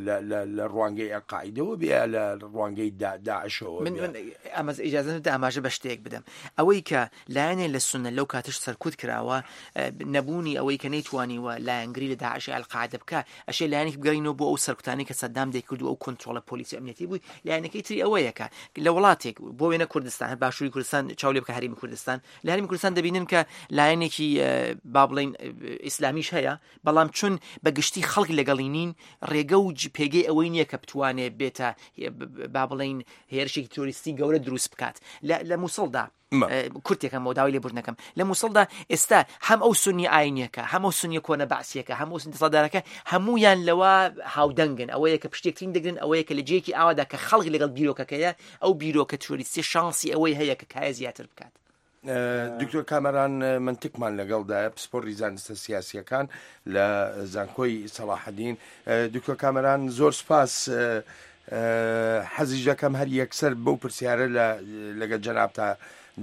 لە ڕوانگەی ئەلقاعیدەوە بێ یا لە ڕوانگەی داعشەوە بێ؟ من ئیجازە بدە ئاماژە بە شتێک بدەم. ئەوەی کە لایەنێ لە سوننە لەو کاتەش سەرکوت کراوە، نەبوونی ئەوەی کە نەیتوانیوە لایەنگری لە داعش یا ئەلقاعدە بکا، ئەشێ لایەنێکی بگەڕینەوە بۆ ئەو سەرکوتانەی کە سەدام دەیکرد و ئەو کۆنترۆڵە پۆلیسی و ئەمنیەتی بووی، لایەنەکەی تری ئەوەیە کە لە وڵاتێک بۆ وێنە کوردستان، هەر باشووری کوردستان چاو لێ بکە هەرێمی کوردستان، لە هەرێمی کوردستان دەبینن کە لایەنێکی با بڵێین. بڵین ئیسلامیش هەیە بەڵام چون بە گشتی خەڵک لەگەڵی نین ڕێگە و پێگەی ئەوەی نییە کە بتوانێت بێتە با بڵین هێرشێکی تیرۆریستی گەورە دروست بکات لە مووسڵدا کورتێکەم بۆ داوای لێبوردنەکەم لە مووسڵدا ئێستا هەم ئەو سنی ئاینیەکە هەم ئەو سنیە کۆنە بەعسیەکە هەموو سنی دەسەڵاتدارەکە هەمویان لەوە هاودەنگن ئەوەیە کە پشتێکترین دەگرن ئەوەیە کە لە جێیەکی ئاوادا کە خەڵک لەگەڵ بیرۆکەکەیە ئەو بیرۆکە تیرۆریستی شانسی ئەوەی هەیە کە کایە زیاتر بکات. دکتۆر کامەران منتکمان لەگەڵدایە پسپۆڕی زانستە سیاسیەکان لە زانکۆی سەڵاحەدین دکتۆر کامەران زۆر سپاس حەزیش دەکەم هەر یەکسەر بەو پرسیارە لە لەگە جەنابتا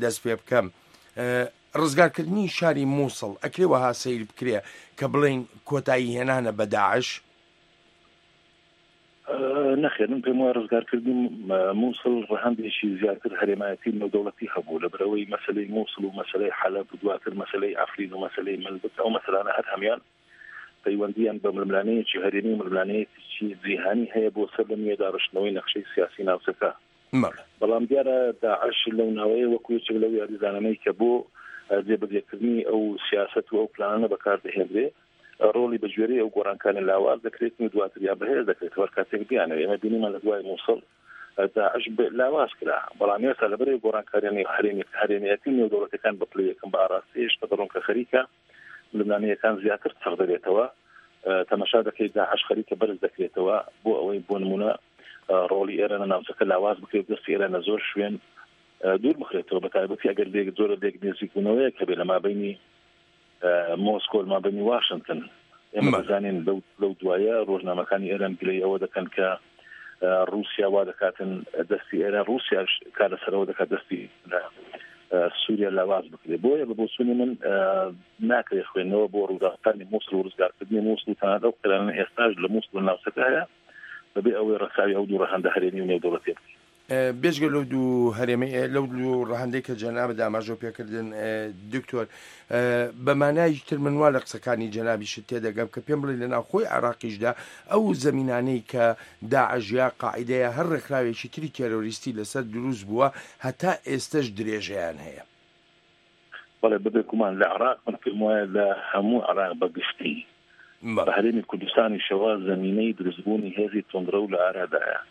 دەست پێ بکەم ڕزگارکردنی شاری مووسڵ ئەکرێ وەها سەیر بکرێ کە بڵێین کۆتایی هێنانە بە داعش؟ نەخێر من پێم وایە ڕزگارکردنی مووسڵ ڕەهەندێکی زیاتر هەرێمایەتی نێودەوڵەتی هەبوو لەبەرئەوەی مەسەلەی مووسڵ و مەسەلەی حەلەب و دواتر مەسەلەی عەفرین و مەسەلەی منبج ئەو مەسەلانە هەر هەموویان پەیوەندییان بە ململانێیەکی هەرێمی و ململانێیەکی جیهانی هەیە بۆ سەر لە نوێ داڕشتنەوەی نەخشەی سیاسی ناوچەکە. بەڵام دیارە داعش لەو ناوەیە وەکو یەکێک لەو یاریزانانەی کە بۆ جێبەجێکردنی ئەو سیاسەت و ئەو پلانانە بەکاردەهێنرێ ڕۆڵی بە گوێرەی ئەو گۆڕانکانە لاواز دەکرێت و دواتر یا بەهێز دەکرێت هەر کاتێک بیانەوێت. ئێمە بینیمان لە دوای مووسڵ داعش لاواز کرا، بەڵام ئێستا لەبەرئەوەی گۆڕانکارییە هەرێمییەتی و نێودەوڵەتییەکان بە پلەی یەکەم بە ئاراستەی هێشتا دەڕۆن کە خەریکە ململانێیەکان زیاتر چڕ دەبێتەوە، تەمەشا دەکەیت داعش خەریکە بەرز دەکرێتەوە بۆ ئەوەی بۆ نمونە ڕۆڵی ئێران لە ناوچەکە لاواز بکرێت دەستی ئێران لە زۆر شوێن دوور بخرێتەوە بە تایبەتی ئەگەر لێک زۆرە لێک نزیکبوونەوەیەک هەبێت لە مابینی مۆسکۆ لە مابینی واشنتن ئێمە دەزانین لەو لەو دوایە ڕۆژنامەکانی ئێران گلەی ئەوە دەکەن کە ڕووسیا وا دەکاتن دەستی ئێران ڕووسیاش کار لەسەرەوە دەکات دەستی سووریا لاواز بکرێت بۆیە بە بۆچوونی من ناکرێت خوێندنەوە بۆ ڕووداوەکانی مووسڵ و ڕزگارکردنی مووسڵ و تەنانەت ئەو قەیرانە ئێستاش لە مووسڵ و ناوچەکە هەیە بەبێ ئەوەی ڕەچاوی ئەو دوو ڕەهەندە هەرێمی و نێودەوڵەتیە بکەین. بێجگە لەو دوو هەرێمەی لەو دوو ڕەهەندەی کە جەنابت ئاماژەو پێکردن دکتۆر بە مانای تر من وا لە قسەکانی جەنابیشت تێدەگەم کە پێم بڵێ لە ناوخۆی عێراقیشدا ئەو زەمینانەی کە داعش یا قاعیدەیە هەر ڕێکخراوێکی تری تێرۆریستی لەسەر دروست بووە هەتا ئێستەش درێژەیان هەیە. بەڵێ بەبێگومان لە عێراق من پێم وایە لە هەموو عێراق بە گشتی بە هەرێمی کوردستانیشەوە زەمینەی دروستبوونی هێزی توندڕەو لە ئارادایە.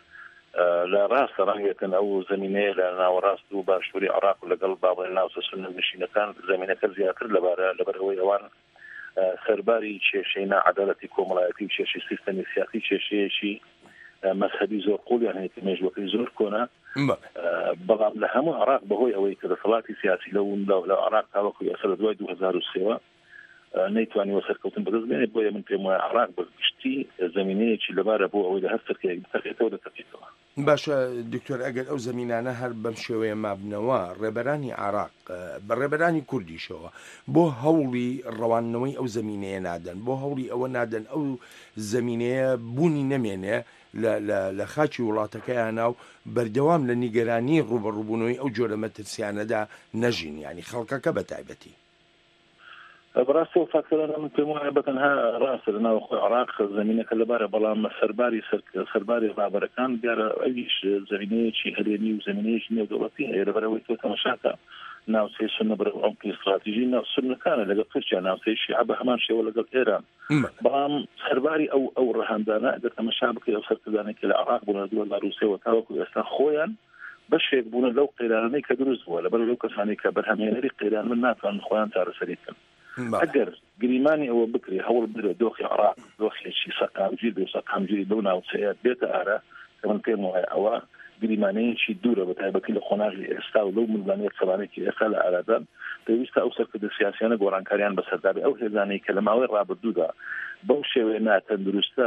لە ڕاستە ڕەنگێتن ئەو زەمینەیە لە ناوەڕاست و باشووری عێراق و لەگەڵ با بڵێین ناوچە سوننە نشینەکان زەمینەکە زیاتر لەبارە لەبەر ئەوەی ئەوان سەرباری کێشەی ناعەدالەتی کۆمەڵایەتی و کێشەی سیستەمی سیاسی کێشەیەکی مەزهەبی زۆر قوڵیان هەیە کە مێژوەکەی زۆر کۆنە بەڵام لە هەموو عراق بەهۆی ئەوەی کە دەسەڵاتی سیاسی لەو لە عراق تاوەکو ئێستا لە دوای 2003ەوە نەیتوانیوە سەرکەوتن بەدەست بێنێت بۆیە من پێم وایە عراق بە گشتی زمینەیەکی لەبارە بۆ ئەوەی لە هەر سەرکەیەک بتەقێتەوە دەتەقێتەوە. باشە دکتۆر ئەگەر ئەو زەمینانە هەر بەم شێوەیە مابنەوە ڕێبەرانی عێراق بە ڕێبەرانی کوردیشەوە بۆ هەوڵی ڕەواندنەوەی ئەو زەمینەیە نادەن بۆ هەوڵی ئەوە نادەن ئەو زەمینەیە بوونی نەمێنێ لە لە لە خاکی وڵاتەکەیانا و بەردەوام لە نیگەرانی ڕووبەڕووبوونەوەی ئەو جۆرە مەترسیانەدا نەژین یانی خەڵکەکە بە تایبەتی. بەڕاستی ئەو فاکتەرانە من پێم وایە بە تەنها ڕاستە لە ناوخۆی عێراق زەمینەکە لەبارە بەڵام سەرباری سەرباری ڕابەرەکان دیارە ئەویش زەمینەیەکی هەرێمی و زەمینەیەکی نێودەوڵەتی هەیە لەبەرئەوەی تۆ تەماشاکە ناوچەی سوننە بەرەو عومقی ستراتیژی ناو سوننەکانە لەگەڵ تورکیا ناوچەی شیعە بە هەمان شێوە لەگەڵ ئێران بەڵام سەرباری ئەو ئەو ڕەهەندانە ئەگەر تەماشا بکەی ئەو سەرکردانەی کە لە عێراق بوون لە 2003 وە تاوەکو ئێستا خۆیان بەشێک بوونە لەو قەیرانانەی کە دروست بووە، لەبەر لەو کەسانەی کە بەرهەمهێنەری قەیران بن ناتوانن خۆیان چارەسەری بکەن. ئەگەر گریمانی ئەوە بکرێ هەوڵ بدرێ دۆخی عێراق دۆخێکی سەقامگیر بێ و سەقامگیری لەو ناوچەیە بێتە ئارا کە من پێم وایە ئەوە گریمانەیەکی دوورە بە تایبەتی لە قۆناغی ئێستا و لەو ململانێ قەبانەی کە ئێستا لە ئارادان پێویستە ئەو سەرکردە سیاسیانە گۆڕانکاریان بەسەردا بێ ئەو هێزانەی کە لە ماوەی ڕابردوودا بەو شێوەیە ناتەندروستە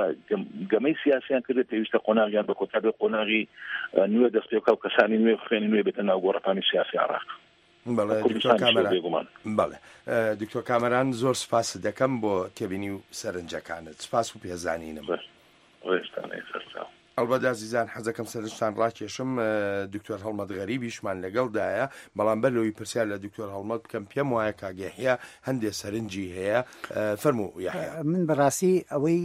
گەمەی سیاسیان کردێت پێویستە قۆناغیان بە کۆتا بێ قۆناغی نوێ دەست پێ بکا و کەسانی نوێ و خوێنی نوێ بێتە ناو گۆڕەپانی سیاسی عێراق. بەڵێ دکتۆر کامەران بەڵێ دکتۆر کامەران زۆر سپاست دەکەم بۆ تێبینی و سەرنجەکانت سپاس و پێزانینم. ڕێزتان ئەی سەرچاو. ئەڵبەت ئازیزان حەزەکەم سەرنجتان ڕاکێشم دکتۆر هەڵمەت غەریبیشمان لەگەڵدایە بەڵام بەر لەوەی پرسیار لە دکتۆر هەڵمەت بکەم پێم وایە کاک یەحیا هەندێ سەرنجی هەیە فەرموو یەحیا. من بەڕاستی ئەوەی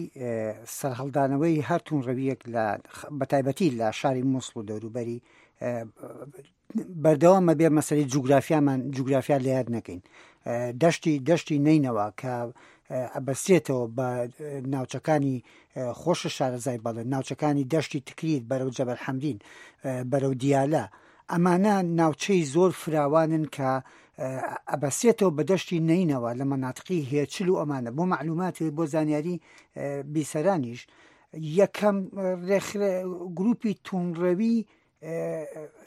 سەرهەڵدانەوەی هەر توندڕەوییەک لە بەتایبەتی لە شاری موسڵ و دەوروبەری بەردەوامە بێ مەسەری جوگرافیامان جوگرافیا لە یاد نەکەین. دەشتی دەشتی نەینەوا کە ئەبەسێتەوە بە ناوچەکانی خۆشە شارەزای بەڵێ ناوچەکانی دەشتی تکریت بەرەو جەبەل حەمرین بەرەو دیالە ئەمانە ناوچەی زۆر فراوانن کە ئەبەسێتەوە بە دەشتی نەینەوە لە مەناتقی هێچل و ئەمانە بۆ معلومات بۆ زانیاری بیسەرانیش یەکەم ڕێکخرا گروپی تونڕەوی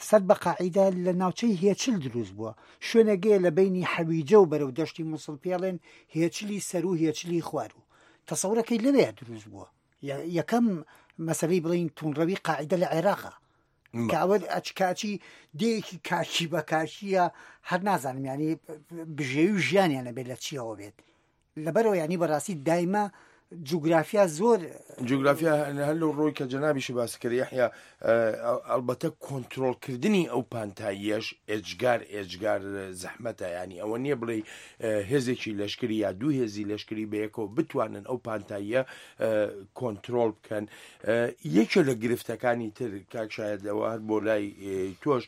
سەر بە قاعیدە لە ناوچەی هێچل دروست بووە شوێنەگەیە لە بینی حەویجە و بەرەو دەشتی موسڵ پێڵێن هێچلی سەر و هێچلی خوارو تەسەورەکەی لەوێ دروست بووە یەکەم مەسەلەی بڵین تونڕەوی قاعیدە لە عێراقا کە ئەوە ئەچکاچی دێیەکی کاکی بە کاکیە هەر نازانم ینی بژێوی و ژیانیانە بێت لە چیەوە بێت لەبەرەوە ینی بەڕاستی دایمە جوگرافیا زۆر جوگرافیا هەر لەو ڕۆی کە جەنابیشی باس کرد یەحیا ئەڵبەتە کۆنترۆڵکردنی ئەو پانتاییەش ئێجگار ئێجگار زەحمەتە ینی ئەوە نییە بڵێ هێزێکی لەشکری یا دوو هێزی لەشکری بەیەکەوە بتوانن ئەو پانتاییە کۆنترۆڵ بکەن یەکێ لە گرفتەکانی تر کاک شاید ئەوە هەر بۆ لای تۆش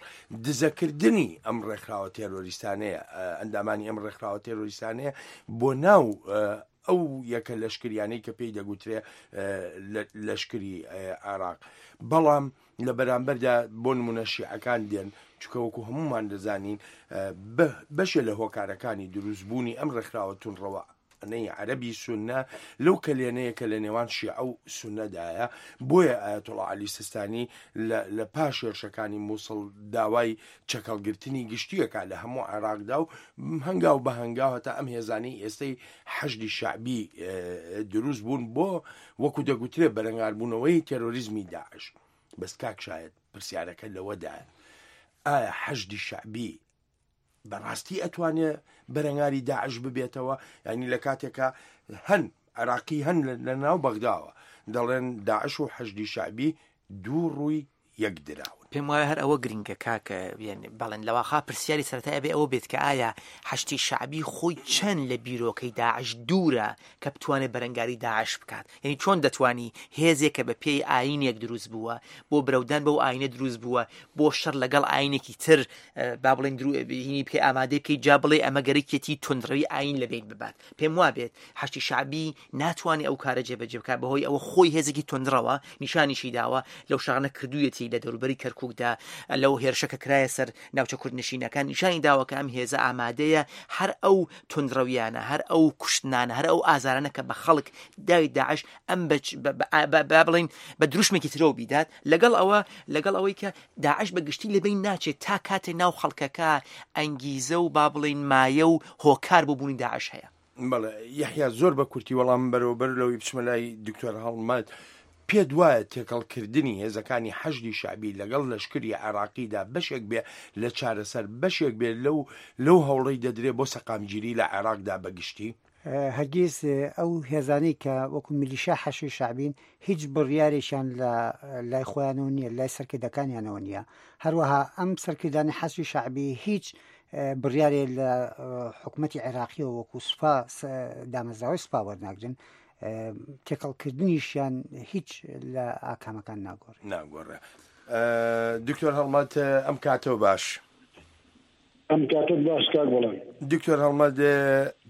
دزەکردنی ئەم ڕێکخراوە تێرۆریستانەیە ئەندامانی ئەم ڕێکخراوە تێرۆریستانەیە بۆ ناو ئەو یەکە لەشکریانەی کە پێی دەگوترێ لەشکری عێراق بەڵام لە بەرامبەردا بۆ نمونە شیعەکان دێن چکە وەکو هەمومان دەزانین بەشێ لە هۆکارەکانی دروستبوونی ئەم ڕێکخراوە تونڕەوە نەی عەرەبی سوننە لەو کەلێنەیە کە لە نێوان شیعە و سوننەدایە، بۆیە ئایەتوڵا عەلی سیستانی لە لە پاش هێرشەکانی موسڵ داوای چەکهەڵگرتنی گشتی ئەکا لە هەموو عێراقدا و هەنگاو بە هەنگاو هەتا ئەم هێزانەی ئێستەی حەشدی شەعبی دروست بوون بۆ وەکو دەگوترێ بەرەنگاربوونەوەی تێرۆریزمی داعش. بەس کاک شایەد پرسیارەکە لەوەدایە ئایا حەشدی شەعبی بەڕاستی ئەتوانێ بەرەنگاری داعش ببێتەوە ینی لە کاتێکا هەن عراقی هەن لە ناو بەغداوە دەڵێن داعش و حەشدی شعبی دوو ڕووی یەک دراون. پێم وایە هەر ئەوە گرنگە کاک بەڵێن لەواخا پرسیاری سەرەتای ئەبێ ئەوە بێت کە ئایا حەشدی شەعبی خۆی چەند لە بیرۆکەی داعش دوورە کە بتوانێت بەرەنگاری داعش بکات یعنی چۆن دەتوانی هێزێک کە بە پێی ئاینێک دروست بووە بۆ برەودان بەو ئاینە دروست بووە بۆ شەڕ لەگەڵ ئاینێکی تر با بڵێن هینی بکەی ئامادەی بکەی جا بڵێ ئەمە گەرەکیەتی توندڕەوی ئاین لە بین ببات پێم وابێت حەشدی شەعبی ناتوانێت ئەو کارە جێبەجێ بکات بەهۆی ئەوە خۆی هێزێکی توندڕەوە نیشانیشی داوە لەو شەڕانە کردوویەتی لە دەوروبەری کەرکووکدا لەو هێرشە کە کرایە سەر ناوچە کوردنشینەکان نیشانی داوە کە ئەم هێزە ئامادەیە هەر ئەو توندڕەویانە هەر ئەو کوشتنانە هەر ئەو ئازارانە کە بە خەڵک داوی داعش ئەم با بڵین بە دروشمێکی ترەوە بیدات لەگەڵ ئەوە لەگەڵ ئەوەی کە داعش بە گشتی لەبەین ناچێت تا کاتێ ناو خەڵکەکە ئەنگیزە و با بڵین مایە و هۆکار بۆ بوونی داعش هەیە. بەڵێ یەحیا زۆر بە کورتی وەڵام بەرەوە بەر لەوەی بچمە لای دکتۆر هەڵمەت پێت وایە تێکەڵکردنی هێزەکانی حەشدی شەعبی لەگەڵ لەشکری عێراقیدا بەشێک بێ لە چارەسەر بەشێک بێ لەو لەو هەوڵەی دەدرێ بۆ سەقامگیری لە عێراقدا بە گشتی؟ هەرگیز ئەو هێزانەی کە وەکو میلیشیا حەشدی شەعبین هیچ بڕیارێکیان لە لای خۆیانەوە نییە لای سەرکردەکانیانەوە نییە هەروەها ئەم سەرکردانی حەشدی شەعبی هیچ بڕیارێ لە حکوومەتتی عێراقیەوە وەکو سوپا دامەزراوەی سوپا وەرناگرن تێکەڵکردنیشیان هیچ لە ئاکامەکان ناگۆڕێ ناگۆڕێ دکتۆر هەڵمەت ئەم کاتەوە باش. ئەم کاتەت باش کاک بەڵێن. دکتۆر هەڵمەت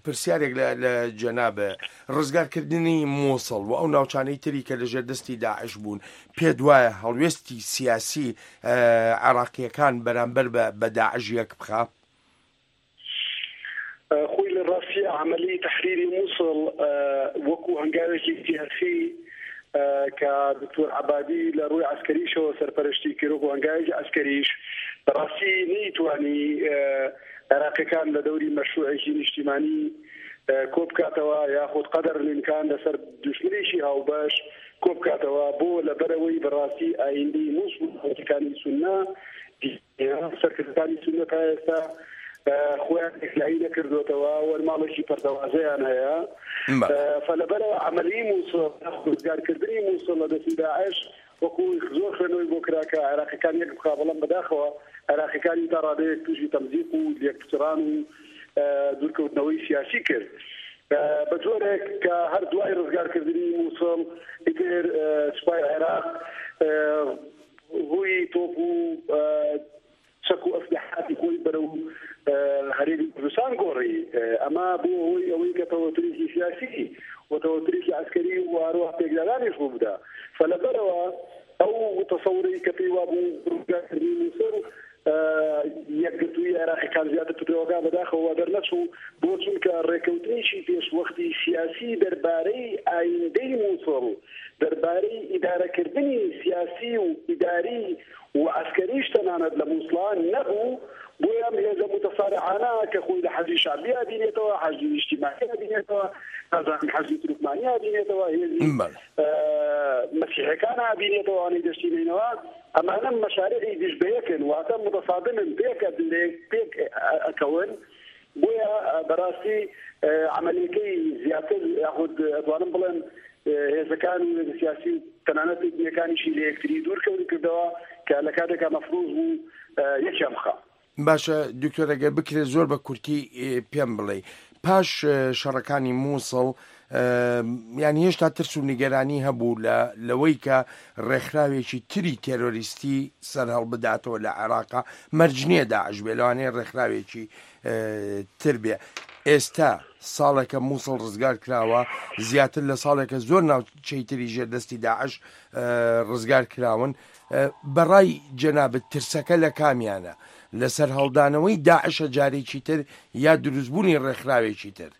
پرسیارێک لە لە جەنابە ڕزگارکردنی مووسڵ و ئەو ناوچانەی تری کە لەژێر دەستی داعش بوون پێت وایە هەڵوێستی سیاسی عێراقییەکان بەرامبەر بە بە داعش یەک بخا؟ خۆی لە ڕاستی عەمەلی تەحریری مووسڵ وەکو هەنگاوێکی سیاسی کە دکتۆر عەبادی لە ڕووی عەسکەریشەوە سەرپەرشتی کرد وەکو هەنگاوێکی عەسکەریش بەڕاستی نەیتوانی عێراقیەکان لە دەوری مەشروعێکی نیشتیمانی کۆبکاتەوە یاخود قەدەر الامکان لەسەر دوشمنێکی هاوبەش کۆبکاتەوە بۆ لەبەرئەوەی بەڕاستی ئایندەی موسڵ و ناوچەکانی سوننە سەرکردەکانی سوننە تا ئێستا خۆیان یەکلایی نەکردوێتەوە وەر ماڵێکی پەرتەوازەیان هەیە فلەبەرەوە عملی موسڵ ڕزگارکردنی موسڵ لە دەستی داعش وەکو زۆر خوێنەوەی بۆ کرا کە عێراقیەکان یەک بخا بەڵام بەداخەوە عێراقیەکانی تا ڕادەیەک تووشی تەمزیق و لێکپچڕان و دوورکەوتنەوەی سیاسی کرد بە جۆرێک کە هەر دوای ڕزگارکردنی مووسڵ ئیتر سوپای عێراق ڕووی تۆپ و چەک و ئەسلحاتی خۆی بەرەو هەرێمی کوردستان گۆڕی. ئەمە بووە هۆی ئەوەی کە تەوەترێکی سیاسی و تەوەترێکی عەسکەری و هەروەها پێکدادانیش ڕوو بدا. فلەبەرەوە ئەو تەسەورەی کە پێی وابوو ڕزگارکردنی موسڵ یەکگرتوویی عێراقیەکان زیاتر پتەوەکا بەداخەوە وا دەرنەچوو. بۆ؟ چونکە ڕێکەوتنێکی پێشوەختی سیاسی دەربارەی ئایندەی موسڵ، دەربارەی ئیدارەکردنی سیاسی و ئیداری و عەسکەریش تەنانەت لە موسڵا نەبوو، بۆیە ئەم هێزە موتەسارعانە کە خۆی لە حەشدی شەعبی ئەبینێتەوە، حەشدی نیشتیمانی ئەبینێتەوە، نازانم حەشدی تورکمانی ئەبینێتەوە، هێزی مەسیحەکان ئەبینێتەوە، ئەوانەی دەشتی نەینەوا، ئەمانە مەشاریعی دژ بەیەکن، واتە موتەسادمن، پێک پێک ئەکەون. بۆیە بەراستی عەمەلیەکەی زیاتر یاخود ئەتوانم بڵێم هێزەکان و هێزە سیاسی و تەنانەت ئیتنیەکانیشی لە یەکتری دوور کەوت کردەوە کە لە کاتێکا مەفروز بوو یەکیان بخا. باشە دکتۆر ئەگەر بکرێت زۆر بە کورتی پێم بڵێ پاش شەڕەکانی مووسڵ یان هێشتا ترس و نیگەرانی هەبوو لە لەوەی کە ڕێکخراوێکی تری تێرۆریستی سەرهەڵبداتەوە لە عێراقا مەرج نییە داعش بێ لەوانەیە ڕێکخراوێکی تر بێ ئێستا ساڵێکە مووسڵ ڕزگار کراوە زیاتر لە ساڵێکە زۆر ناوچەی تری ژێردەستی داعش ڕزگار کراون بەڕای جەنابت ترسەکە لە کامیانە لە سەرهەڵدانەوەی داعشە جارێکی تر یا دروستبوونی ڕێکخراوێکی تر؟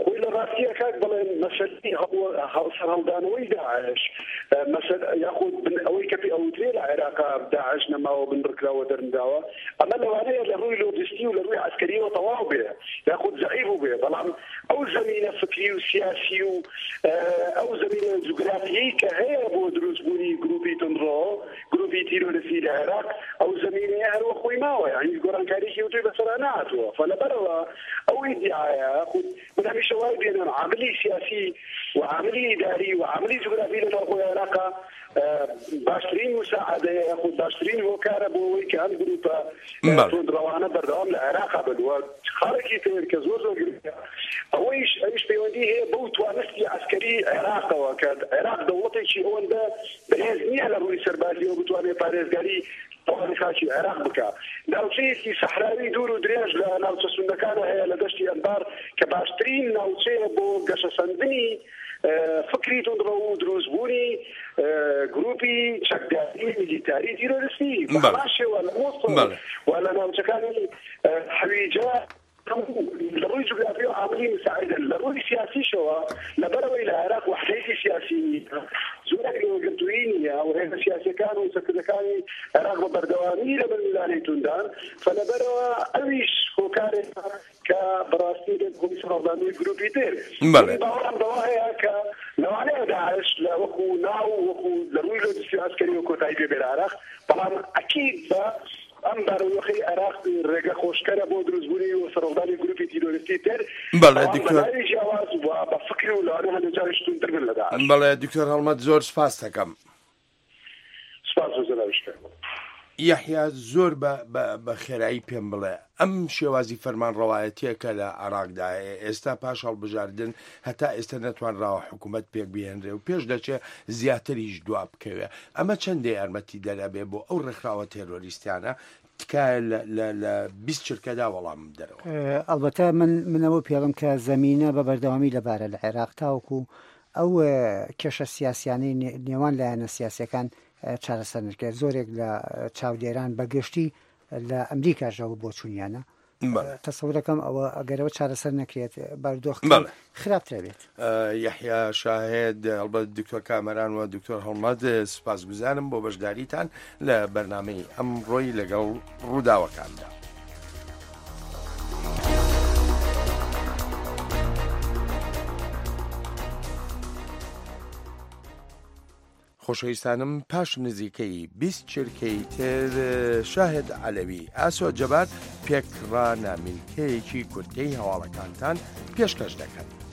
خۆی لە ڕاستییا کاک بەڵێن مەسەلەی سەرهەڵدانەوەی داعش مەسەل یاخود بن ئەوەی کە پێ ئەوترێ لە عێراقا داعش نەماوە بنبڕکراوە دەرنراوە ئەمە لەوانەیە لە ڕووی لۆجستی و لە ڕووی عەسکەریەوە تەواو بێ یاخود زەعیف بووبێ بەڵام ئەو زەمینە فکری و سیاسی و ئەو زەمینە جوگرافیەی کە هەیە بۆ دروستبوونی گروپی توندڕۆ گروپی تیرۆرستی لە عێراق ئەو زەمینەیە هەر وەک خۆی ماوە یانی هیچ گۆڕانکاریەکی ئەوتۆی بەسەرا نەهاتووە فلەبەرەوە ئەو ئیدیعایە خود من هەمیشە وای بینم عاملی سیاسی و عاملی ئیداری و عاملی جوگرافی لە ناوخۆی عێراقا باشترین مساعدەیە یاخود باشترین هۆکارە بۆ ئەوەی کە ئەم گروپە توندڕەوانە بەردەوام لە عێراقا بن و خاڵێکی تر کە زۆر زۆر گرنگە ئەوەیش ئەویش پەیوەندی هەیە بەو توانستی عەسکەری عێراقەوە کە عێراق دەوڵەتێکی ئەوەندە بەهێز نییە لە ڕووی سەربازیەوە بتوانێت پارێزگاری تەواوی خاکی عێراق بکا. ناوچەیەکی سەحراوی دوور و درێژ لە ناوچە سوننەکانە هەیە لە دەشتی ئەنبار کە باشترین ناوچەیە بۆ گەشەسەندنی فکری توندڕەو و دروستبوونی گروپی چەکداری میلیتاری تیرۆریستی. بە هەمان شێوە لە موسڵ و لە ناوچەکانی حەویجە هەموو لە ڕووی جوگرافیەوە عاملی مساعدن، لە ڕووی سیاسیشەوە لەبەرئەوەی لە عێراق وەحدەیەتی سیاسی نییە، جۆرێک لە یەکگرتوویی نییە و هێزە سیاسیەکان و سەرکردەکانی عێراق بە بەردەوامی لە ململانێی توندان، فلەبەرئەوە ئەویش هۆکارێکە کە بەڕاستی دەبێتە هۆی سەرهەڵدانەوەی گروپی تر. من باوەڕم بەوە هەیە کە لەوانەیە داعش لە وەکو ناو وەکو لە ڕووی لۆجستی و عەسکەریەوە کۆتایی پێ بێ لە عێراق، بەڵام ئەکید بە ئەم بارودۆخەی عێراق رێگە خۆشکەرە بۆ دروستبوونی و سەرهەڵدانی گروپی تیرۆریستی تر، بەڵێ بەڵام بە دکتۆر. ناوی جیاواز و بە فکر و لەوانەیە هەندێک جاریش توندتر بن لە داعش. بەڵێ دکتۆر هەڵمەت زۆر سپاست دەکەم. سپاس بۆ جەنابیشت کاک. یەحیا زۆر بە بە بە خێرایی پێم بڵێ ئەم شێوازی فەرمانڕەوایەتیە کە لە عێراقدا هەیە ئێستا پاش هەڵبژاردن هەتا ئێستا نەتوانراوە حکوومەت پێک بهێنرێ و پێش دەچێ زیاتریش دوا بکەوێ ئەمە چەندە یارمەتیدەر ئەبێ بۆ ئەو ڕێکخراوە تێرۆریستیانە تکایە لە لە لە 20 چرکەدا وەڵامم بدەرەوە. ئەڵبەتە من من ئەوە پێڵم کە زەمینە بە بەردەوامی لەبارە لە عێراق تاوەکو ئەو کێشە سیاسیانەی نێوان لایەنە سیاسیەکان چارەسەر نەکرێت زۆرێک لە چاودێران بەگشتی لە ئەمریکاشەوە بۆچوونیانە تەسەورەکەم ئەوە ئەگەرەوە چارەسەر نەکرێت بارودۆخ خراپترە بێت. یەحیا شاهێد هەڵبەت دکتۆر کامەران و دکتۆر هەڵمەت سوپاسگوزارم بۆ بەشداریتان لە بەرنامەی ئەمڕۆی لەگەڵ ڕووداوەکاندا. خۆشەویستانم پاش نزیکەی 20 چرکەی تر شاهد عەلەوی ئاسۆ جەبار پێکڕا نامیلکەیەکی کورتەی هەواڵەکانتان پێشکەش دەکەن.